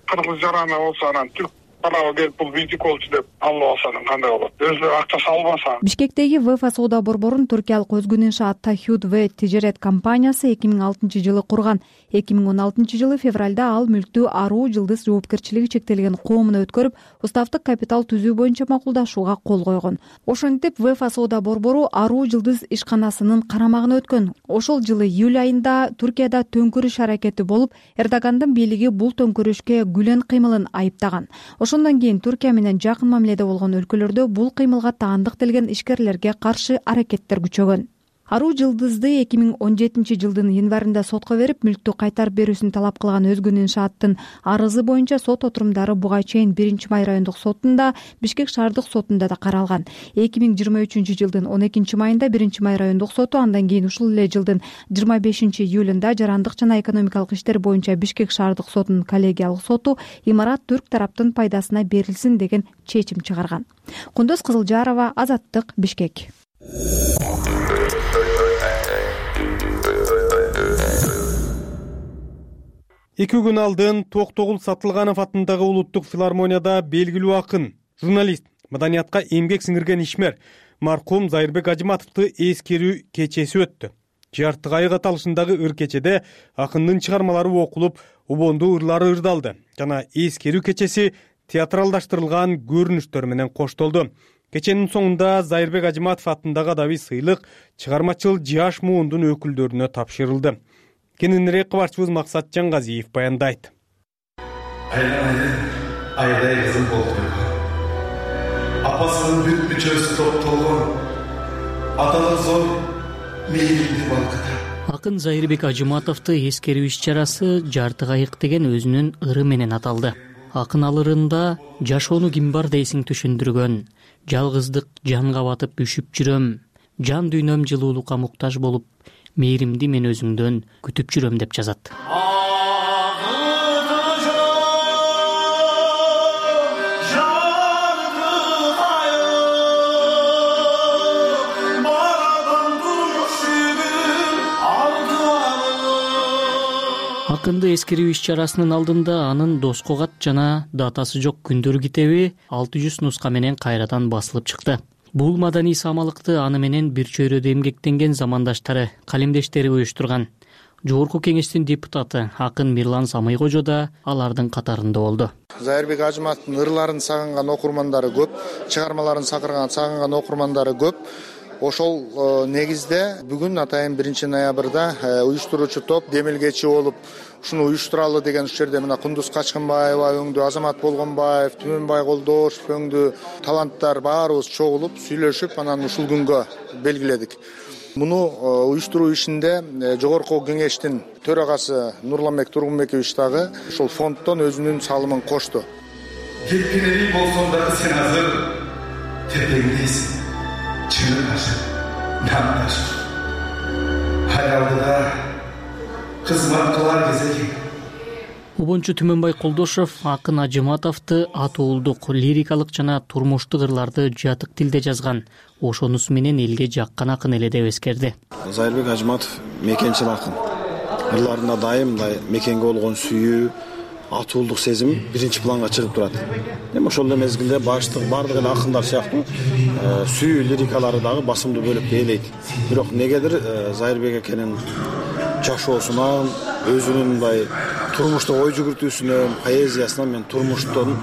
кыргыз жараны болсо, анан түрк тарабы келип бул биздики болчу деп алып алса кандай болот? Өзү акча салбаса. Бишкектеги ВЭФА соода борборун түркиялык өзгөн иншаат Тахюд В тижерет компаниясы 2006-жылы курган. 2016-жылы февралда ал мүлктү Аруу Жылдыз жоопкерчилиги чектелген коомуна өткөрүп, уставдык капитал түзүү боюнча макулдашууга кол койгон. Ошентип ВЭФА соода борбору Аруу Жылдыз ишканасынын карамагына өткөн. Ошол жылы июль айында Түркияда төңкүрүш аракети болуп, Эрдогандын бийлиги бул төңкүрүшкө күлөн кыймылын айыптаган. Ошондон кийин Түркия менен жакын мамиледе болгон өлкөлөрдө бул кыймылга таандык делген ишкерлерге каршы аракеттер күчөгөн. Аруу Жылдызды 2017-жылдын январында сотко берип, мүлктү кайтарып берүүсүн талап кылган өзгөн иншааттын арызы боюнча сот отурумдары буга чейин 1-Май райондук сотунда, Бишкек шаардык сотунда да каралган. 2023-жылдын 12-майында 1-Май райондук соту, андан кийин ушул эле жылдын 25-июлунда Жарандык жана экономикалык иштер боюнча Бишкек шаардык сотунун коллегиялык соту имарат түрк тараптын пайдасына берилсин деген чечим чыгарган. Кундуз Кызылжарова, Азаттык, Бишкек. 2 күн алдын Токтогул Сатылганов атындагы улуттук филармонияда белгилүү акын, журналист, маданиятка эмгек сиңирген ишмер маркум Зайырбек Ажыматовду эскерүү кечеси өттү. Жарты айык аталышындагы ыр кечеде акындын чыгармалары окулуп, убондуу ырлары ырдалды жана эскерүү кечеси театралдаштырылган көрүнүштөр менен коштолду. Кеченин соңунда Зайырбек Ажыматов атындагы адабий сыйлык чыгармачыл жаш муундун өкүлдөрүнө тапшырылды. Кененирээк кабарчыбыз Максат Жаңгазиев баяндайт. Айдай кызым болду. Апасынын бүт мүчөсү топтолгон. Аталык зор мейиримди балкыта. Акын Зайырбек Ажыматовду эскерүү иш-чарасы жарты айык деген өзүнүн ыры менен аталды. Акын алырында жашоону ким бар дейсиң түшүндүргөн. Жалгыздык жанга батып үшүп жүрөм. Жан дүйнөм жылуулукка муктаж болуп, мейримди мен өзүңдөн күтүп жүрөм деп жазат. Акынды эскерүү иш-чарасынын алдында анын Доско кат жана датасы жок күндөр китеби 600 нуска менен кайрадан басылып чыкты. Бул маданий самалыкты аны менен бир чөйрөдө эмгектенген замандаштары, калемдештери уюштурган. Жогорку кеңештин депутаты акын Мирлан Самыйкожо да алардын катарында болду. Зайырбек Ажыматовдун ырларын сагынган окурмандары көп, чыгармаларын сагынган окурмандары көп. Ошол негизде бүгүн атайын 1-ноябрда уюштуруучу топ демилгечи болуп ушуну уюштуралы деген жерде мына Кундуз Качкынбаева өңдүү, Азамат Болгонбаев, Түмөнбай Колдошев өңдүү таланттар баарыбыз чогулуп, сүйлөшүп, анан ушул күнгө белгиледик. Муну уюштуруу ишинде жогорку кеңештин төрагасы Нурламбек Тургунбекович дагы ушул фонддон өзүнүн салымын кошту. Кеткенери болсоң дагы сен азыр тепеңдейсиң. Чынын ашып, нам ашып. Хаялдыда кызмат кылар кезеги. Убончу Түмөнбай Колдошев акын Ажыматовду атуулдук, лирикалык жана турмуштук ырларды жатык тилде жазган. Ошонусу менен элге жаккан акын эле деп эскерди. Зайырбек Ажыматов мекенчил акын. Ырларында дайым мекенге болгон сүйүү, атуулдук сезим биринчи планга чыгып турат. Эми ошол эле мезгилде баардык эле акындар сыяктуу сүйүү лирикалары дагы басымдуу бөлүктү ээлейт. Бирок негедир Зайырбек экенин жашоосунан, өзүнүн мындай турмуштук ой жүгүртүүсүнөн, поэзиясынан мен турмуштун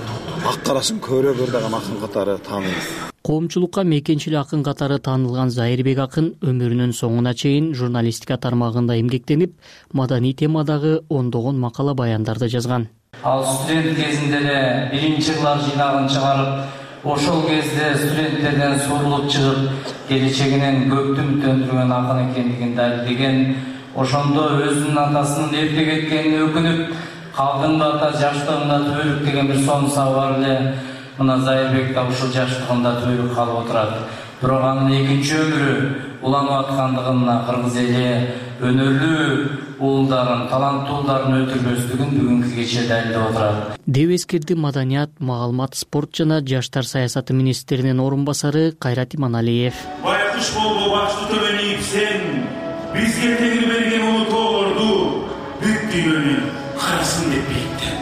ак карасын көбүрөөк ырдаган акын катары таанылат. Коомчулукка мекенчил акын катары таанылган Зайырбек акын өмүрүнүн соңуна чейин журналистика тармагында эмгектенип, маданий темадагы ондогон макала баяндарды жазган. Ал студент кезинде эле биринчи класс жыйнагын чыгарып, ошол кезде студенттерден сурулуп чыгып, келечегинен көптү үмүттөндүргөн акын экендигин далилдеген. Ошондо өзүнүн атасынын эрте кеткенине өкүнүп, калдым ата жаштыгымда түбөлүк деген бир сонусабы бар эле. Мына Зайырбек да ушул жаштыгында түбөлүк калып отурат. Бирок анын экинчи өмүрү уланып аткандыгына кыргыз эли өнөрлүү уулдарын, таланттуу уулдарын өлтүрбөстүгүн бүгүнкү кече далилдеп отурат. Деп эскерди маданият, маалымат, спорт жана жаштар саясаты министринин орун басары Кайрат Иманалиев. Байкуш болбо башты төбөнүп сен, бизге теңир берген улуу тоолорду бүт дүйнөнүн карасын деп бейиттен.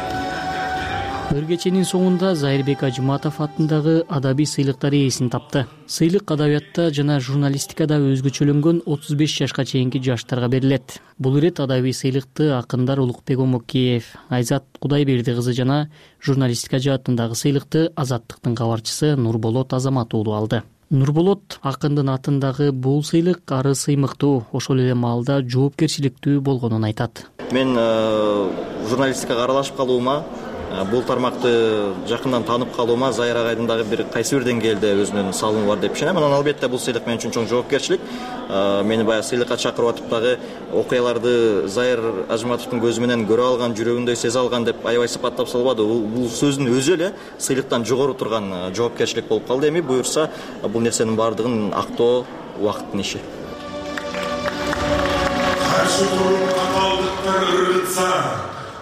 Ыр кеченин соңунда Зайырбек Ажыматов атындагы адабий сыйлыктар ээсин тапты. Сыйлык адабиятта жана журналистикада өзгөчөлөнгөн 35 жашка чейинки жаштарга берилет. Бул ирет адабий сыйлыкты акындар Улукбек Омокеев, Айзат Кудайберди кызы жана журналистика жаатындагы сыйлыкты Азаттыктын кабарчысы Нурболот Азамат уулу алды. Нурболот акындын атындагы бул сыйлык ары сыймыктуу, ошол эле маалда жоопкерчиликтүү болгонун айтат. Мен журналистикага аралашып калуума, бул тармакты жакындан таанып калуума Зайыр агайдын дагы бир кайсы бир деңгээлде өзүнүн салымы бар деп ишенем. Анан албетте бул сыйлык мен үчүн чоң жоопкерчилик. Мени баягы сыйлыкка чакырып атып дагы окуяларды Зайыр Ажыматовдун көзү менен көрө алган, жүрөгүндөй сезе алган деп аябай сыпаттап салбады. Бул сөздүн өзү эле сыйлыктан жогору турган жоопкерчилик болуп калды. Эми буюрса бул нерсенин баардыгын актоо убакыттын иши. Каршы туруп каталдыктар ыргытса,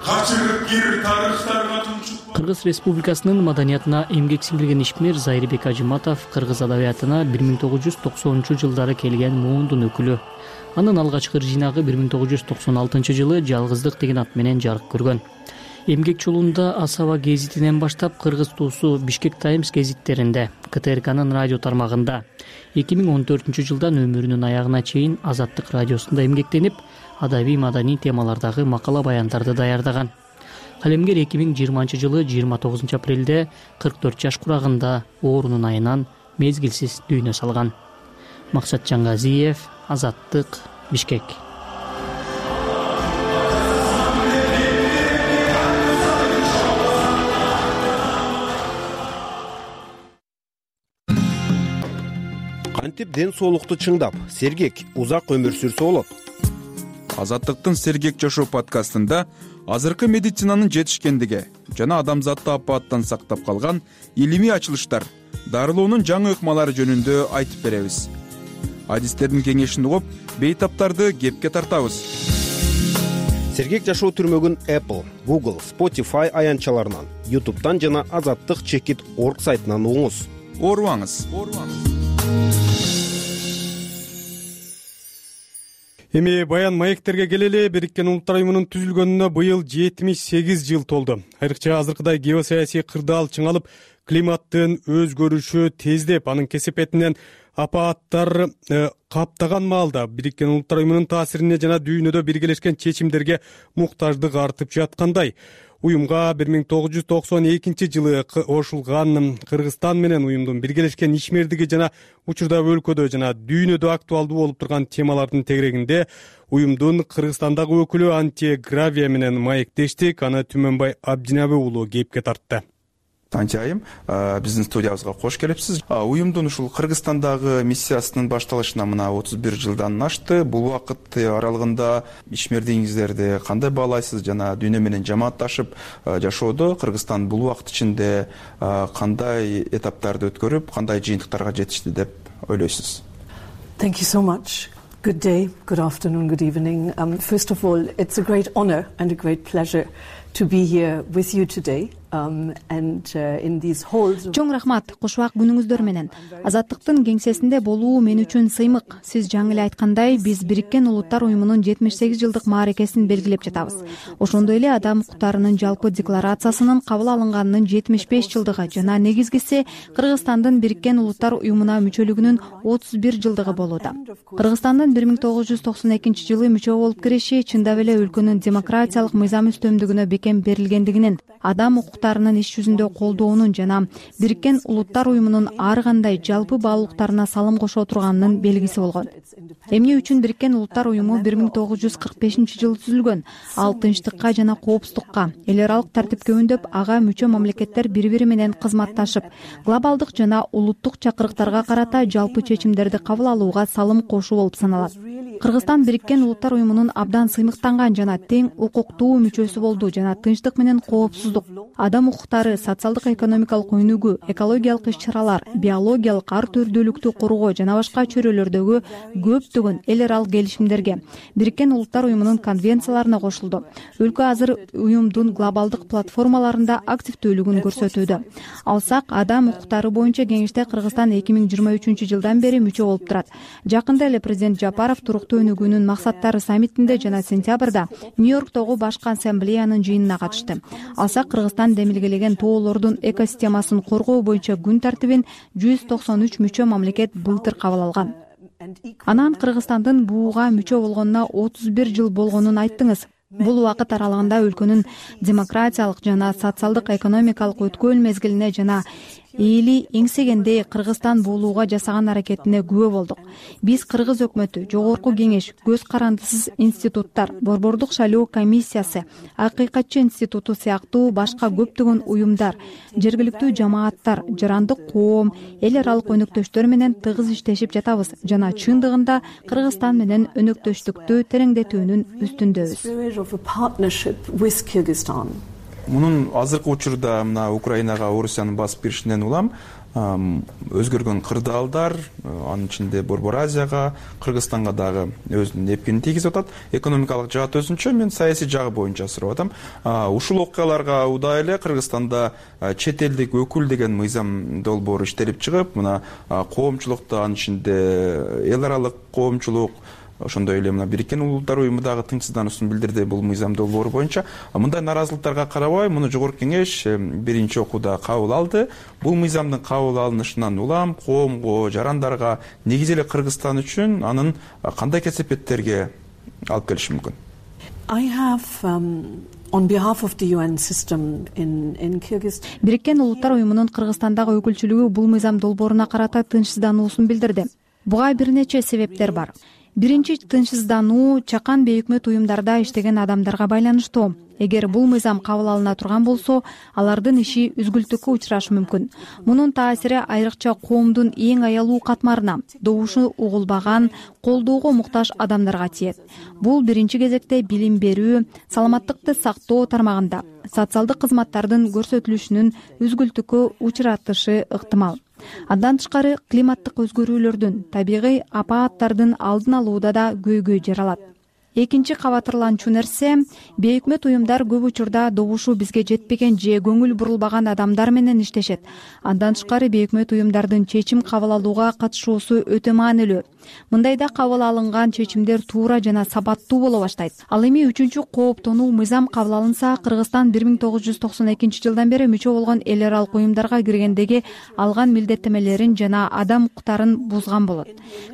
качырып кир тарыхтарга тунчук. Кыргыз Республикасынын маданиятына эмгек сиңдирген ишмер Зайырбек Ажыматов кыргыз адабиятына 1990-жылдары келген муундун өкүлү. Анын алгачкы жыйнагы 1996-жылы Жалгыздык деген ат менен жарык көргөн. Эмгек жолунда Асаба гезитинен баштап Кыргыз туусу Бишкек Таймс гезиттеринде, КТРКнын радио тармагында, 2014-жылдан өмүрүнүн аягына чейин Азаттык радиосунда эмгектенип, адабий маданий темалардагы макала баяндарды даярдаган. Калемгер 2020-жылы 29 апрелде 44 жаш курагында оорунун айынан мезгилсиз дүйнө салган. Максат Жаңгазиев, Азаттык, Бишкек. Кантип ден соолукту чыңдап, сергек, узак өмүр сүрсө болот? Азаттыктын Сергек жашоо подкастында азыркы медицинанын жетишкендиги жана адамзатты апааттан сактап калган илимий ачылыштар, дарылоонун жаңы ыкмалары жөнүндө айтып беребиз. Адистердин кеңешин угуп, бейтаптарды кепке тартабыз. Сергек жашоо түрмөгүн Apple, Google, Spotify аянтчаларынан, YouTube'дан жана azattik.org сайтынан угуңуз. Оорубаңыз. Эми баян маектерге келели. Бириккен Улуттар уюмунун түзүлгөнүнө быйыл 78 жыл толду. Айрыкча азыркыдай геосаясий кырдаал чыңалып, климаттын өзгөрүшү тездеп, анын кесепетинен апааттар каптаган маалда Бириккен Улуттар уюмунун таасирине жана дүйнөдө биргелешкен чечимдерге муктаждык артып жаткандай. Уюмга 1992-жылы кошулган Кыргызстан менен уюмдун биргелешкен ишмердиги жана учурда өлкөдө жана дүйнөдө актуалдуу болуп турган темалардын тегерегинде уюмдун Кыргызстандагы өкүлү Антия Гравия менен маектештик. Аны Түмөнбай Абдинаби уулу кепке тартты. Антия айым, биздин студиябызга кош келипсиз. Уюмдун ушул Кыргызстандагы миссиясынын башталышына мына 31 жылдан ашты. Бул убакыт аралыгында ишмердигиңиздерди кандай баалайсыз жана дүйнө менен жамаатташып жашоодо Кыргызстан бул убакыт ичинде кандай этаптарды өткөрүп, кандай жыйынтыктарга жетишти деп ойлойсуз? Thank you so much. Good day, good afternoon, good evening. First of all, it's a great honor and a great pleasure to be here with you today. Чоң рахмат, кушубак күнүңүздөр менен. Азаттыктын кеңсесинде болуу мен үчүн сыймык. Сиз жаңы эле айткандай, биз Бириккен Улуттар уюмунун 78 жылдык мааракесин белгилеп жатабыз. Ошондой эле Адам укуктарынын жалпы декларациясынын кабыл алынганынын 75 жылдыгы жана негизгиси Кыргызстандын Бириккен Улуттар уюмуна мүчөлүгүнүн 31 жылдыгы болууда. Кыргызстандын 1992-жылы мүчө болуп кириши чындап эле өлкөнүн демократиялык мыйзам үстөмдүгүнө бекем берилгендигинин, адам укуктарынын иш жүзүндө колдоонун жана Бириккен Улуттар уюмунун ар кандай жалпы баалуулуктарына салым кошо турганынын белгиси болгон. Эмне үчүн Бириккен Улуттар уюму 1945-жылы түзүлгөн? Ал тынчтыкка жана коопсуздукка, эл аралык тартипке үндөп, ага мүчө мамлекеттер бири-бири менен кызматташып, глобалдык жана улуттук чакырыктарга карата жалпы чечимдерди кабыл алууга салым кошуу болуп саналат. Кыргызстан Бириккен Улуттар уюмунун абдан сыймыктанган жана тең укуктуу мүчөсү болду жана тынчтык менен коопсуздук, адам укуктары, социалдык экономикалык өнүгүү, экологиялык иш-чаралар, биологиялык ар түрдүүлүктү коргоо жана башка чөйрөлөрдөгү көптөгөн эл аралык келишимдерге, Бириккен Улуттар уюмунун конвенцияларына кошулду. Өлкө азыр уюмдун глобалдык платформаларында активдүүлүгүн көрсөтүүдө. Алсак, адам укуктары боюнча кеңеште Кыргызстан 2023-жылдан бери мүчө болуп турат. Жакында эле президент Жапаров туруктуу Өлкөлүк өнүгүүнүн максаттары саммитинде жана сентябрда Нью-Йорктогу башкы ассамблеянын жыйынына катышты. Алса Кыргызстан демилгелеген тоолордун экосистемасын коргоо боюнча күн тартибин 193 мүчө мамлекет былтыр кабыл алган. Анан Кыргызстандын буга мүчө болгонуна 31 жыл болгонун айттыңыз. Бул убакыт аралыгында өлкөнүн демократиялык жана социалдык экономикалык өткөн мезгилине жана эли эңсегенде Кыргызстан болууга жасаган аракетине күбө болдук. Биз Кыргыз өкмөтү, жогорку кеңеш, көз карандысыз институттар, Борбордук шайлоо комиссиясы, Акыйкатчы институту сыяктуу башка көптөгөн уюмдар, жергиликтүү жамааттар, жарандык коом, эл аралык өнөктөштөр менен тыгыз иштешип жатабыз жана чындыгында Кыргызстан менен өнөктөштүктү тереңдетүүнүн үстүндөбүз. Мунун азыркы учурда мына Украинага Орусиянын басып киришинен улам өзгөргөн кырдаалдар, анын ичинде Борбор Азияга, Кыргызстанга дагы өзүнүн эпкинин тийгизип атат. Экономикалык жаат өзүнчө, мен саясий жагы боюнча сурап атам. Ушул окуяларга удай эле Кыргызстанда чет элдик өкүл деген мыйзам долбоору иштелип чыгып, мына коомчулукта, анын ичинде эл аралык коомчулук, ошондой эле мына Бириккен Улуттар уюму дагы тынчсыздануусун билдирди бул мыйзам долбоору боюнча. Мындай наразылыктарга карабай, муну жогорку кеңеш биринчи окууда кабыл алды. Бул мыйзамдын кабыл алынышынан улам коомго, жарандарга, негизи эле Кыргызстан үчүн анын кандай кесепеттерге алып келиши мүмкүн? Бириккен Улуттар уюмунун Кыргызстандагы өкүлчүлүгү бул мыйзам долбооруна карата тынчсыздануусун билдирди. Буга бир нече себептер бар. Биринчи, тынчсыздануу чакан бейөкмөт уюмдарда иштеген адамдарга байланыштуу. Эгер бул мыйзам кабыл алына турган болсо, алардын иши үзгүлтүккө учурашы мүмкүн. Мунун таасири айрыкча коомдун эң аялуу катмарына, добушу угулбаган, колдоого муктаж адамдарга тиет. Бул биринчи кезекте билим берүү, саламаттыкты сактоо тармагында социалдык кызматтардын көрсөтүлүшүнүн үзгүлтүккө учуратышы ыктымал. Андан тышкары климаттык өзгөрүүлөрдүн, табигый апааттардын алдын алууда да көйгөй жаралат. Экинчи кабатырланчу нерсе, бейөкмөт уюмдар көп учурда добушу бизге жетпеген же көңүл бурулбаган адамдар менен иштешет. Андан тышкары бейөкмөт уюмдардын чечим кабыл алууга катышуусу өтө маанилүү. Мындайда кабыл алынган чечимдер туура жана сабаттуу боло баштайт. Ал эми үчүнчү кооптонуу мыйзам кабыл алынса, Кыргызстан 1992 жылдан бери мүчө болгон эл аралык уюмдарга киргендеги алган милдеттемелерин жана адам укуктарын бузган болот.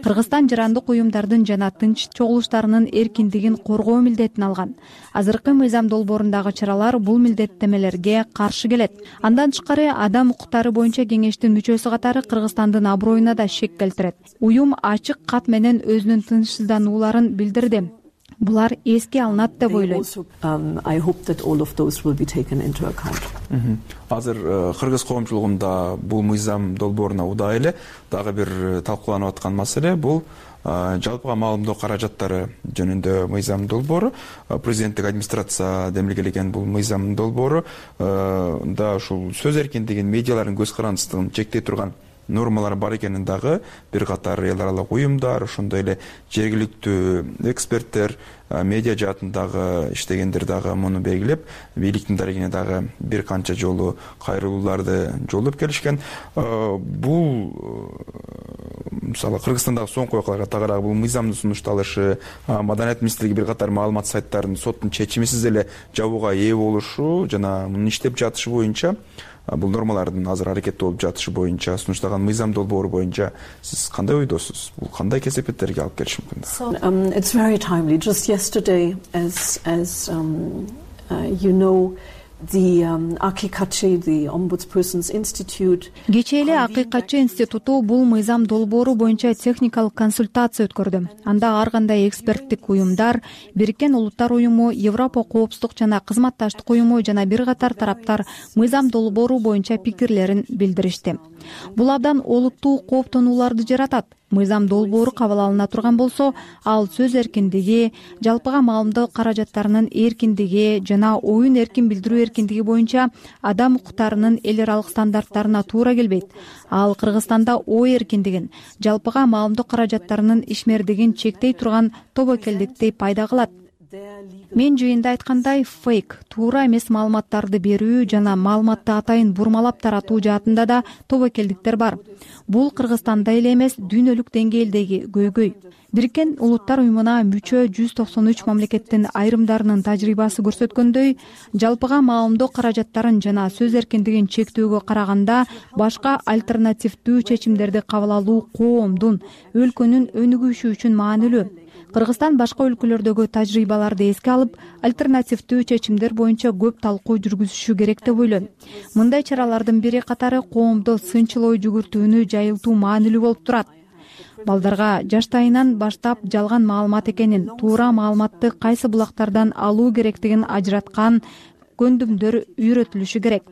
Кыргызстан жарандык уюмдардын жана тынч чогулуштарынын эркиндигин коргоо милдетин алган. Азыркы мыйзам долбоорундагы чаралар бул милдеттемелерге каршы келет. Андан тышкары адам укуктары боюнча кеңештин мүчөсү катары Кыргызстандын аброюна да шек келтирет. Уюм ачык кат менен өзүнүн тынчсызданууларын билдирди. Булар эске алынат деп ойлойм. Азыр кыргыз коомчулугунда бул мыйзам долбооруна удай эле дагы бир талкууланып аткан маселе бул жалпыга маалымдоо каражаттары жөнүндө мыйзам долбоору. Президенттик администрация демилгелеген бул мыйзам долбоору да ушул сөз эркиндигин, медиалардын көз карандысыздыгын чектей турган нормалар бар экенин дагы бир катар эл аралык уюмдар, ошондой эле жергиликтүү эксперттер, медиа жаатындагы иштегендер дагы муну белгилеп, бийликтин дарегине дагы бир канча жолу кайрылууларды жолдоп келишкен. Бул мисалы Кыргызстандагы соңку окуяларга тагыраак бул мыйзамдын сунушталышы, Маданият министрлиги бир катар маалымат сайттарын соттун чечимисиз эле жабууга ээ болушу жана мунун иштеп жатышы боюнча, бул нормалардын азыр аракетте болуп жатышы боюнча сунушталган мыйзам долбоору боюнча сиз кандай ойдосуз? Бул кандай кесепеттерге алып келиши мүмкүн? It's very timely. Just yesterday, as you know, the Akıykatçı, the Ombudsperson's Institute. Кечээ эле Акыйкатчы институту бул мыйзам долбоору боюнча техникалык консультация өткөрдү. Анда ар кандай эксперттик уюмдар, Бириккен Улуттар уюму, Европа коопсуздук жана кызматташтык уюму жана бир катар тараптар мыйзам долбоору боюнча пикирлерин билдиришти. Бул абдан олуттуу кооптонууларды жаратат. Мыйзам долбоору кабыл алына турган болсо, ал сөз эркиндиги, жалпыга маалымдоо каражаттарынын эркиндиги жана оюн эркин билдирүү эркиндиги боюнча адам укуктарынын эл аралык стандарттарына туура келбейт. Ал Кыргызстанда ой эркиндигин, жалпыга маалымдоо каражаттарынын ишмердигин чектей турган тобокелдикти пайда кылат. Мен жыйында айткандай, фейк, туура эмес маалыматтарды берүү жана маалыматты атайын бурмалап таратуу жаатында да тобокелдиктер бар. Бул Кыргызстанда эле эмес, дүйнөлүк деңгээлдеги көйгөй. Бириккен Улуттар уюмуна мүчө 193 мамлекеттин айрымдарынын тажрыйбасы көрсөткөндөй, жалпыга маалымдоо каражаттарын жана сөз эркиндигин чектөөгө караганда башка альтернативдүү чечимдерди кабыл алуу коомдун, өлкөнүн өнүгүшү үчүн маанилүү. Кыргызстан башка өлкөлөрдөгү тажрыйбаларды эске алып, альтернативдүү чечимдер боюнча көп талкуу жүргүзүшү керек деп ойлойм. Мындай чаралардын бири катары коомдо сынчыл ой жүгүртүүнү жайылтуу маанилүү болуп турат. Балдарга жаштайынан баштап жалган маалымат экенин, туура маалыматты кайсы булактардан алуу керектигин ажыраткан көндүмдөр үйрөтүлүшү керек.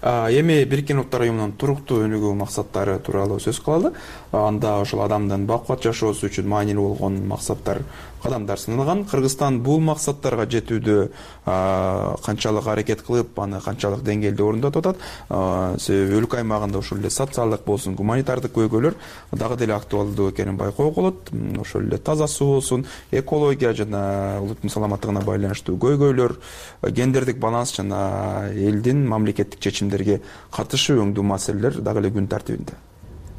Эми Бириккен Улуттар уюмунун туруктуу өнүгүү максаттары тууралуу сөз кылалы. Анда ошол адамдын бакубат жашоосу үчүн маанилүү болгон кадамдар сыналган. Кыргызстан бул максаттарга жетүүдө канчалык аракет кылып, аны канчалык деңгээлде орындотуп атат. Себеби өлкө аймагында ошол эле социалдык болсун, гуманитардык көйгөйлөр дагы деле актуалдуу экенин байкоого болот. Ошол эле таза суу болсун, экология жана улуттун саламаттыгына байланыштуу көйгөйлөр, гендердик баланс жана элдин мамлекеттик чечимдерге катышы өңдүү маселелер дагы эле күн тартибинде.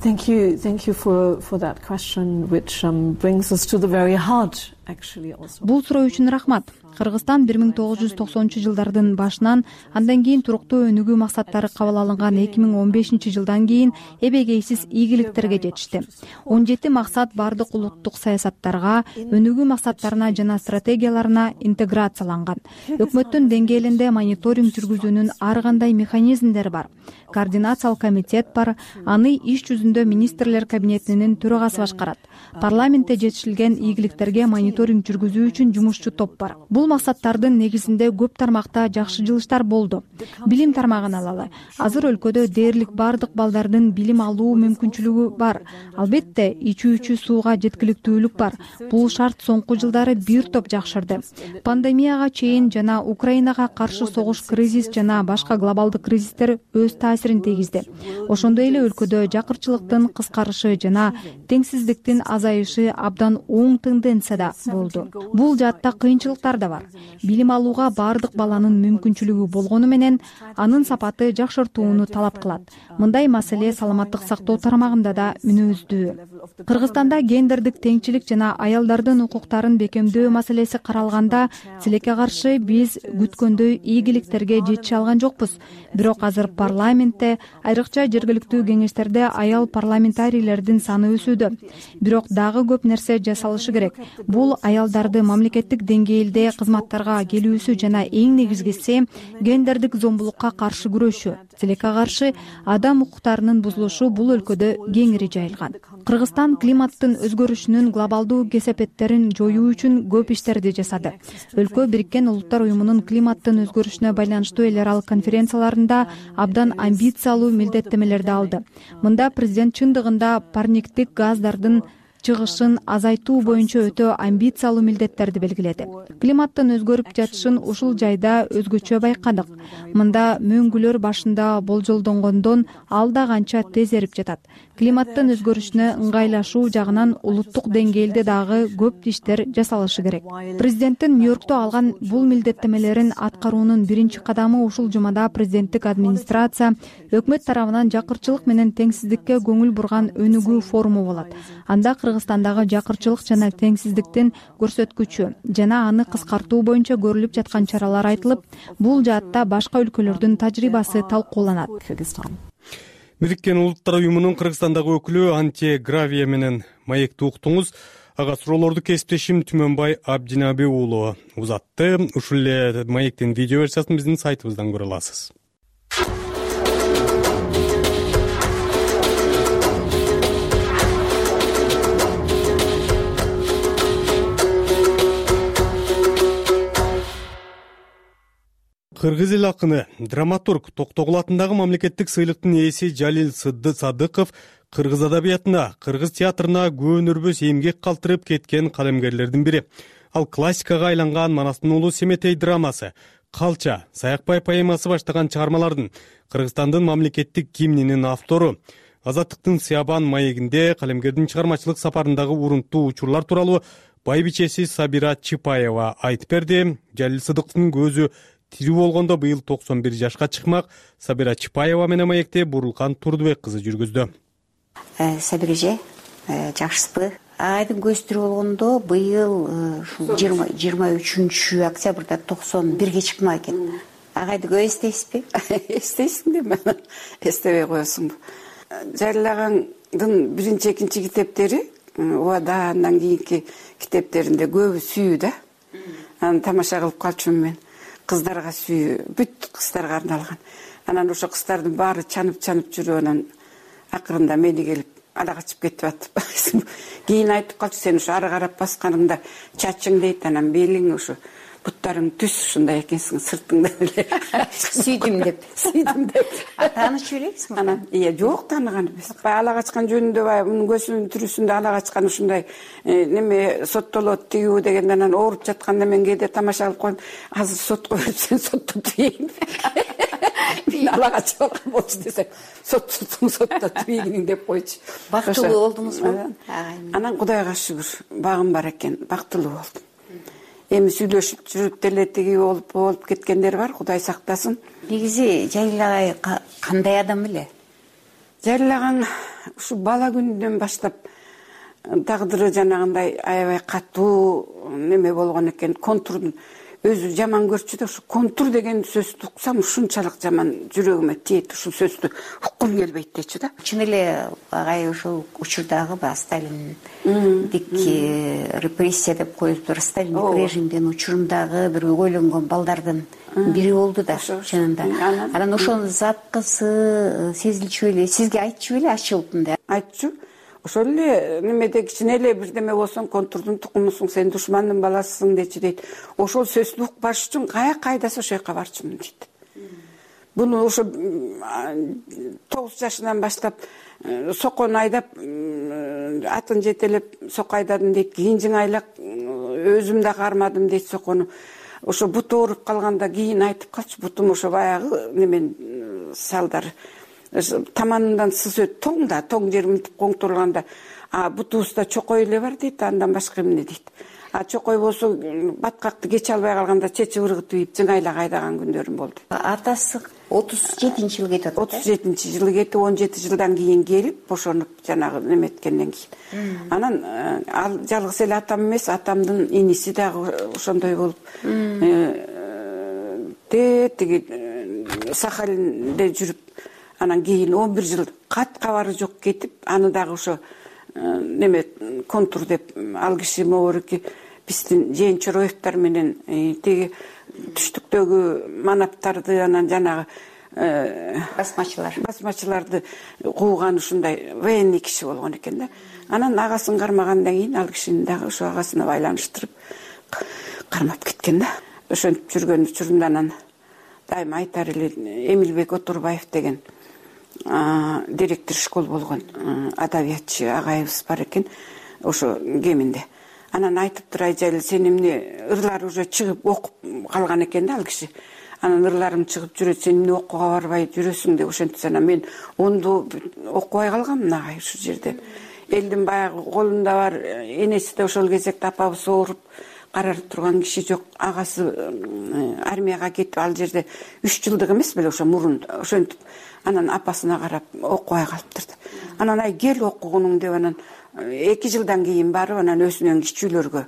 Thank you for that question, which brings us to the very heart, actually, also. Бул суроо үчүн рахмат. Кыргызстан 1990-жылдардын башынан, андан кийин туруктуу өнүгүү максаттары кабыл алынган 2015-жылдан кийин эбегейсиз ийгиликтерге жетишти. 17 максат бардык улуттук саясаттарга, өнүгүү максаттарына жана стратегияларына интеграцияланган. Өкмөттүн деңгээлинде мониторинг жүргүзүүнүн ар кандай механизмдери бар. Координациялык комитет бар, аны иш жүзүндө министрлер кабинетинин төрагасы башкарат. Парламентте жетишилген ийгиликтерге мониторинг жүргүзүү үчүн жумушчу топ бар. Бул максаттардын негизинде көп тармакта жакшы жылыштар болду. Билим тармагын алалы. Азыр өлкөдө дээрлик бардык балдардын билим алуу мүмкүнчүлүгү бар. Албетте, ичүүчү сууга жеткиликтүүлүк бар. Бул шарт соңку жылдары бир топ жакшырды. Пандемияга чейин жана Украинага каршы согуш кризис жана башка глобалдык кризистер өз таасирин тийгизди. Ошондой эле өлкөдө жакырчылыктын кыскарышы жана теңсиздиктин азайышы абдан оң тенденцияда болду. Бул жаатта кыйынчылыктар да бар. Билим алууга бардык баланын мүмкүнчүлүгү болгону менен анын сапаты жакшыртууну талап кылат. Мындай маселе саламаттык сактоо тармагында да мүнөздүү. Кыргызстанда гендердик теңчилик жана аялдардын укуктарын бекемдөө маселеси каралганда, тилекке каршы биз күткөндөй ийгиликтерге жетише алган жокпуз. Бирок азыр парламентте, айрыкча жергиликтүү кеңештерде аял парламентарийлердин саны өсүүдө. Бирок дагы көп нерсе жасалышы керек. Бул аялдарды мамлекеттик деңгээлде кызматтарга келүүсү жана эң негизгиси гендердик зомбулукка каршы күрөшүү. Тилекке каршы адам укуктарынын бузулушу бул өлкөдө кеңири жайылган. Кыргызстан климаттын өзгөрүшүнүн глобалдуу кесепеттерин жоюу үчүн көп иштерди жасады. Өлкө Бириккен Улуттар уюмунун климаттын өзгөрүшүнө байланыштуу эл аралык конференцияларында абдан амбициялуу милдеттемелерди алды. Мында президент чындыгында парниктик газдардын чыгышын азайтуу боюнча өтө амбициялуу милдеттерди белгиледи. Климаттын өзгөрүп жатышын ушул жайда өзгөчө байкадык. Мында мөңгүлөр башында болжолдонгондон алда канча тез эрип жатат. Климаттын өзгөрүшүнө ыңгайлашуу жагынан улуттук деңгээлде дагы көп иштер жасалышы керек. Президенттин Нью-Йоркто алган бул милдеттемелерин аткаруунун биринчи кадамы ушул жумада президенттик администрация өкмөт тарабынан жакырчылык менен теңсиздикке көңүл бурган өнүгүү форуму болот. Анда Кыргызстандагы жакырчылык жана теңсиздиктин көрсөткүчү жана аны кыскартуу боюнча көрүлүп жаткан чаралар айтылып, бул жаатта башка өлкөлөрдүн тажрыйбасы талкууланат. Бириккен Улуттар уюмунун Кыргызстандагы өкүлү Анте Гравия менен маекти уктуңуз. Ага суроолорду кесиптешим Түмөнбай Абдинаби уулу узатты. Ушул эле маектин видео версиясын биздин сайтыбыздан көрө аласыз. Кыргыз эл акыны, драматург, Токтогул атындагы мамлекеттик сыйлыктын ээси Жалил Садыков кыргыз адабиятына, кыргыз театрына көөнөрбөс эмгек калтырып кеткен калемгерлердин бири. Ал классикага айланган Манастын уулу Семетей драмасы, Калча, Саякбай поэмасы баштаган чыгармалардын, Кыргызстандын мамлекеттик гимнинин автору. Азаттыктын Сыябан маегинде калемгердин чыгармачылык сапарындагы урунттуу учурлар тууралуу байбичеси Сабира Чипаева айтып берди. Жалил Сыдыктын көзү тирүү болгондо быйыл 91 жашка чыкмак. Сабира Чипаева менен маекте Бурулкан Турдубек кызы жүргүздү. Сабиреже, жакшысызбы? Агайдын көзү тирүү болгондо быйыл 23 октябрда 91 чыкмак экен. Агайды көп эстейсизби? Эстейсиң деме, эстебей коесуңбу? Жалил агаңдын биринчи, экинчи китептери, Убада, андан кийинки китептеринде көбү сүйүү да. Аны тамаша кылып калчумун мен. Кыздарга сүйүү, бүт кыздарга арналган. Анан ошо кыздардын баары чанып жүрүп, анан акырында мени келип ала качып кетип атып. Кийин айтып калчу, сен ошо ары карап басканыңда чачың дейт, анан белиң ошо буттарың түз ушундай экенсиң, сыртыңда эле. Сүйдүм деп. Таанышып элексиң? Анан жок, тааныган эмес. Ала качкан жөнүндө мунун көзүнүн түрүсүндө ала качкан ушундай неме соттолот тигүү дегенде, анан ооруп жатканда мен кээде тамаша кылып коем. Азыр сотко берип сен соттоп тийин. Мен ала качып алган болчу десем, сотто тийиниң деп койчу. Бактылуу болдуңузбу? Анан Кудайга шүгүр, багым бар экен, бактылуу болдум. Эми сүйлөшүп жүрүп деле тиги болуп кеткендер бар, Кудай сактасын. Негизи Жалил агай кандай адам эле? Жалил агаң ушу бала күнүнөн баштап тагдыры жанагындай аябай катуу неме болгон экен. Контурдун өзү жаман көрчү да, ушу контур деген сөздү уксам ушунчалык жаман жүрөгүмө тиет, ушул сөздү уккум келбейт дечү да. Чын эле агай ушул учурдагы Сталиндик репрессия деп коюптур, Сталиндик режимдин учурундагы бир өгөйлөнгөн балдардын бири болду да, чынында. Анан ошонун запкысы сезилчү эле, сизге айтчу эле ачылып мындай? Айтчу. Ошол эле немеде кичине эле бирдеме болсоң, контурдун тукумусуң, сен душмандын баласысың дечи дейт. Ошол сөздү укпаш үчүн каяка айдаса ошол жака барчумун дейт. Буну ошо 9 жашынан баштап соккон айдап, атын жетелеп сокко айдадым дейт. Кийин жыңайлак өзүм да кармадым дейт соккону. Ошо буту ооруп калганда кийин айтып калчу, бутум ошо баягы немен салдары. Таманынан сыз өт, тоң жер мынтип коңтурганда, бутубузда чокой эле бар дейт, андан башка эмне дейт. Чокой болсо баткакты кече албай калганда чечи ыргытып ийип жыңайлак айдаган күндөрүм болду. Атасы 37-жылы кетип атат. 37-жылы кетип, 17 жылдан кийин келип, бошонуп жанагы неметкенден кийин. Анан ал жалгыз эле атам эмес, атамдын иниси дагы ошондой болуп, тиги Сахалинде жүрүп, анан кийин 11 жыл кат кабары жок кетип, аны дагы ошо неме контур деп ал киши могорки биздин Жээн Чороевдор менен тиги түштүктөгү манаптарды, анан жанагы басмачыларды кууган ушундай военный киши болгон экен да. Анан агасын кармагандан кийин ал кишини дагы ошо агасына байланыштырып кармап кеткен да. Ошентип жүргөн учурунда анан дайыма айтар эле, Эмилбек Отурбаев деген директор школ болгон адабиятчы агайыбыз бар экен, ошо кеминде. Анан айтыптыр, ай Жалил, сен эмне, ырлар уже чыгып окуп калган экен да ал киши. Анан ырларым чыгып жүрөт, сен эмне окууга барбай жүрөсүң деп ошентсе, анан мен онду окубай калгаммын агай ушул жерде. Элдин баягы колунда бар, энеси да ошол кезекте апабыз ооруп карарып турган киши жок. Агасы армияга кетип, ал жерде 3 жылдык эмес беле ошо мурун. Ошентип анан апасына карап окубай калыптыр. Анан ай кел окугунуң деп, анан 2 жылдан кийин барып, анан өзүнөн кичүүлөргө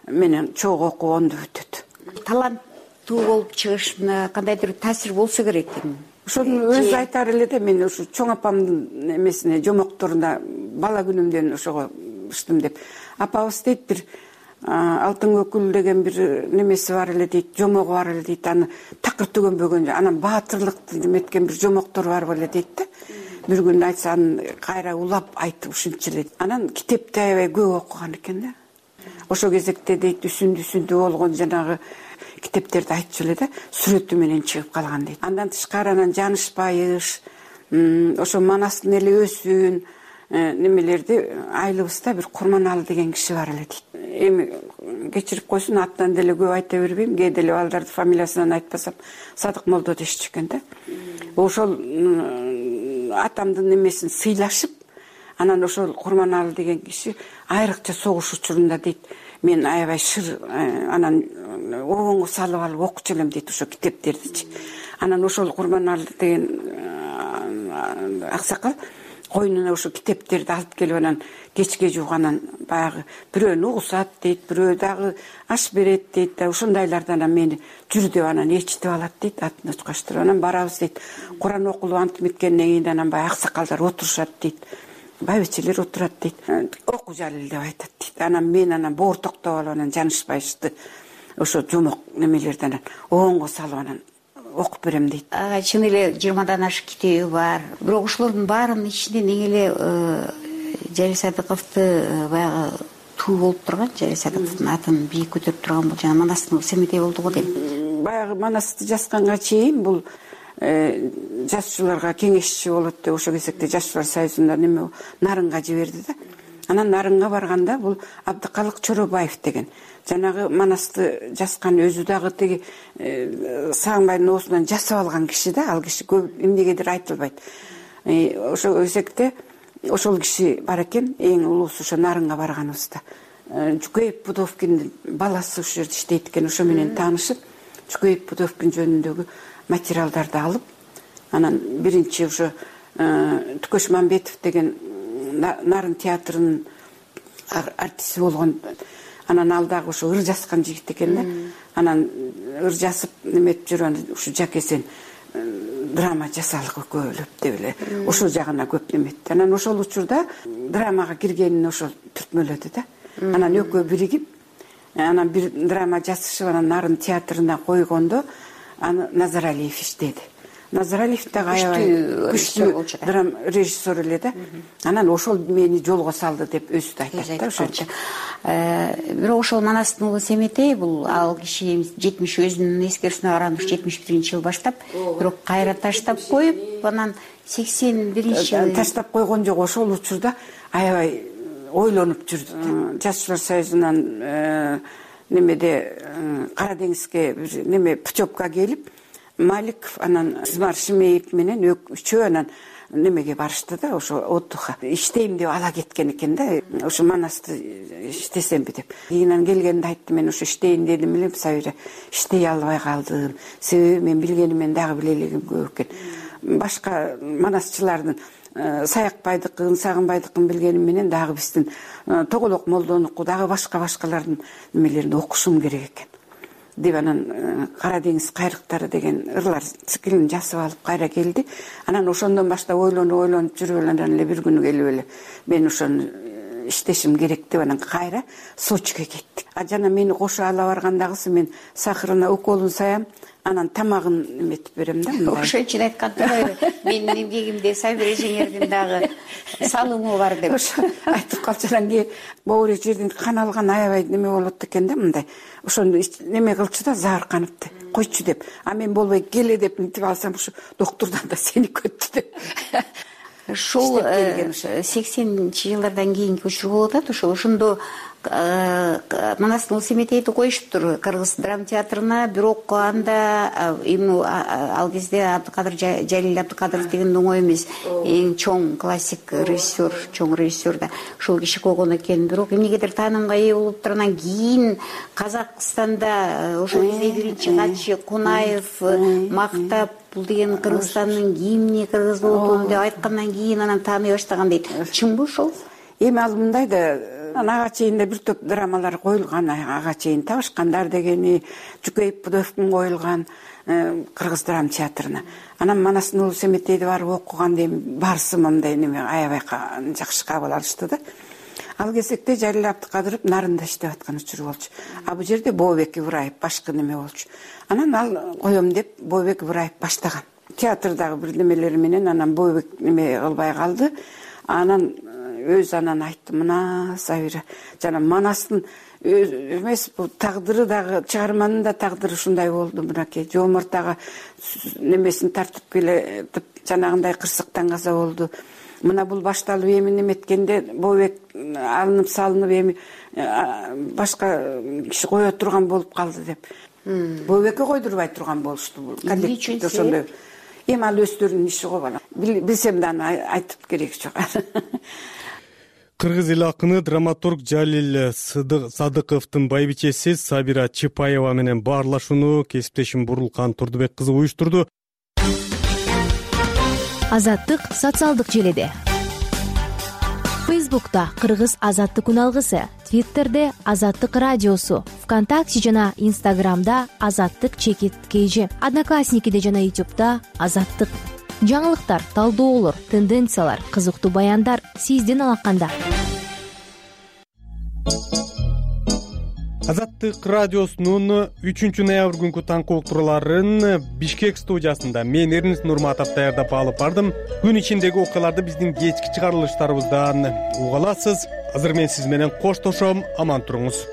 менен чогуу окугонду бүтөт. Таланттуу болуп чыгыш кандайдыр таасир болсо керек экен. Ошону өзү айтар эле да, мен ушу чоң апамдын эмесине, жомокторуна бала күнүмдөн ошого ыштым деп. Апабыз дейт, бир алтын көкүл деген бир немеси бар эле дейт, жомогу бар эле дейт, аны такыр төгөнбөгөн, анан баатырлыкты неметкен бир жомоктор бар беле дейт да. Бир күн айтса, аны кайра улап айтып ушунча эле. Анан китепти аябай көп окуган экен да. Ошо кезекте дейт, үсүндү болгон жанагы китептерди айтчу эле да, сүрөтү менен чыгып калган дейт. Андан тышкары анан Жаныш Байыш, ошо Манастын эли өсүүн немелерди айылыбызда бир Курманалы деген киши бар эле дейт. Эми кечирип койсун, аттан деле көп айта бербейм, кээ деле балдарды фамилиясынан айтпасам Садык молдо дешчү экен да. Ошол атамдын немесин сыйлашып, анан ошол Курманалы деген киши айрыкча согуш учурунда дейт, мен аябай шыр анан обоңго салып алып окучу элем дейт ошо китептердичи. Анан ошол Курманалы деген аксакал койнуна ошо китептерди алып келип анан кечке жууганан баягы бирөөнү угусат дейт, бирөө дагы аш берет дейт да, ошондайлардан анан мени жүр деп анан ээрчитип алат дейт, атын очкоштуруп. Анан барабыз дейт. Куран окулуп антип меткенден кийин анан баягы аксакалдар отурушат дейт. Байбичелер отурат дейт. Оку Жалил деп айтат дейт. Анан мен боор токтоп алып анан жанышпайчты ошо жомок немелерди анан обоңго салып анан окуп берем дейт. Чын эле 20дан ашык китеби бар. Бирок ошолордун баарынын ичинен эң эле Жалил Садыковду баягы туу болуп турган, Жалил Садыковдун атын бийик көтөрүп турган бул жана Манастын Семетей болду го дейм. Баягы Манасты жазганга чейин бул жазуучуларга кеңешчи болот деп ошол кезекте Жазуучулар союзунда неме Нарынга жиберди да. Анан Нарынга барганда бул Абдыкалык Чоробаев деген жанагы Манасты жазган өзү дагы тиги Сагынбайдын оосунан жасап алган киши да. Ал киши көп эмнегедир айтылбайт. Ошол кезекте ошол киши бар экен, эң улуусу ошо Нарынга барганыбызда. Жукеев Пудовкиндин баласы ошол жерде иштейт экен, ошо менен таанышып, Жукеев Пудовкин жөнүндөгү материалдарды алып, анан биринчи ошо Түкөш Мамбетов деген Нарын театрынын артисти болгон. Анан ал дагы ошо ыр жазган жигит экен да. Анан ыр жазып неметип жүргөн ушу Жакесен драма жасалык экөөлөп деп эле ошол жагына көп неметти. Анан ошол учурда драмага киргенин ошол түртмөлөдү да. Анан экөө биригип, анан бир драма жазышып, анан Нарын театрына койгондо аны Назаралиев иштеди. Назаралиев дагы аябай күчтүү драма режиссер эле да. Анан ошол мени жолго салды деп өзү да айтат да ошончо. Бирок ошол Манастын уулу Семетей бул ал киши 70 өзүнүн эскерүүсүнө караганда 71-жыл баштап, бирок кайра таштап коюп, анан 81-жылы таштап койгон жок. Ошол учурда аябай ойлонуп жүрдү. Жазуучулар союзунан немеде Кара деңизге бир неме путевка келип, Маликов анан Измар Шимеев менен үчөө анан немеге барышты да, ошо отдыхка. Иштейм деп ала кеткен экен да, ошо Манасты иштесемби деп. Кийинен келгенде айтты, мен ошо иштейин дедим элем, Сабира, иштей албай калдым. Себеби мен билгеним мен дагы биле элегим көп экен. Башка манасчылардын Саякбайдыкын, Сагынбайдыкын билгеним менен дагы биздин Тоголок Молдонуку дагы башкалардын немелерин окушум керек экен деп анан Кара деңиз кайрыктары деген ырлар циклин жазып алып кайра келди. Анан ошондон баштап ойлонуп жүрүп анан эле бир күнү келип эле мен ошону иштешим керек деп анан кайра Сочиге кеттик. Жана мени кошо ала баргандагысы мен сахарына уколун саям, анан тамагын эметип берем да. Ошон үчүн айткан менин эмгегимде Сабира эжеңердин дагы салымы бар деп. Ошо айтып калчу. Анан кийин могу жерден кан алган аябай неме болот экен да, мындай. Ошону неме кылчу да, заарканыпты. Койчу деп. А мен болбой келе деп мынтип алсам, ошо доктурдан да сени көттү деп. Ушул 80-жылдардан кийинки учур болуп атат. Ошондо Манастын Семетейди коюшуптур Кыргыз драма театрына, бирок анда ал кезде Абдыкадыр Жалил Абдыкадыров деген оңой эмес, эң чоң классик режиссер, чоң режиссер да ошол киши койгон экен. Бирок эмнегедир таанымга ээ болуп тургандан кийин Казакстанда ошол кезде биринчи катчы Кунаев мактап, бул деген Кыргызстандын гимни, кыргыз болуп деп айткандан кийин анан тааный баштаган дейт. Чынбы ошол? Эми ал мындай да, ага чейин да бир топ драмалар коюлган, ага чейин Табышкандар дегени, Жукеев Пудовкин коюлган Кыргыз драма театрына. Анан Манастын уулу Семетейди барып окуган дейм, барсым мындай неме аябай жакшы кабыл алышты да. Ал кезекте Жалил Абдыкадыров Нарында иштеп аткан учуру болчу. А бул жерде Бообек Ибраев башкы неме болчу. Анан ал коем деп Бообек Ибраев баштаган. Театрдагы бир немелери менен анан Бообек неме кылбай калды. Анан өзү анан айтты, мына Сабира, жана Манастын эмес бул тагдыры дагы, чыгарманын да тагдыры ушундай болду. Мынакей Жоморт дагы немесин тартып келетип, жанагындай кырсыктан каза болду. Мына бул башталып эми неметкенде Бообек алынып салынып эми башка киши кое турган болуп калды деп. Бообекке койдурбай турган болушту бул. Коллективде ошондой. Эми ал өздөрүнүн иши го бала. Билсем да аны айтып кереги жок. Кыргыз эл акыны драматург Жалил Садыковдун байбичеси Сабира Чапаева менен баарлашууну кесиптешим Бурулкан Турдубек кызы уюштурду. Азаттык социалдык желеде. Фейсбукта Кыргыз Азаттык үналгысы, Твиттерде Азаттык радиосу, ВКонтакте жана Инстаграмда Азаттык_KG, Одноклассникиде жана Ютубта Азаттык. Жаңылыктар, талдоолор, тенденциялар, кызыктуу баяндар сиздин алаканда. Азаттык радиосунун 3-ноябрь күнкү таңкы уктурууларын Бишкек студиясында мен Эрнис Нурматов даярдап алып бардым. Күн ичиндеги окуяларды биздин кечки чыгарылыштарыбыздан уга аласыз. Азыр мен сиз менен коштошом, аман туруңуз.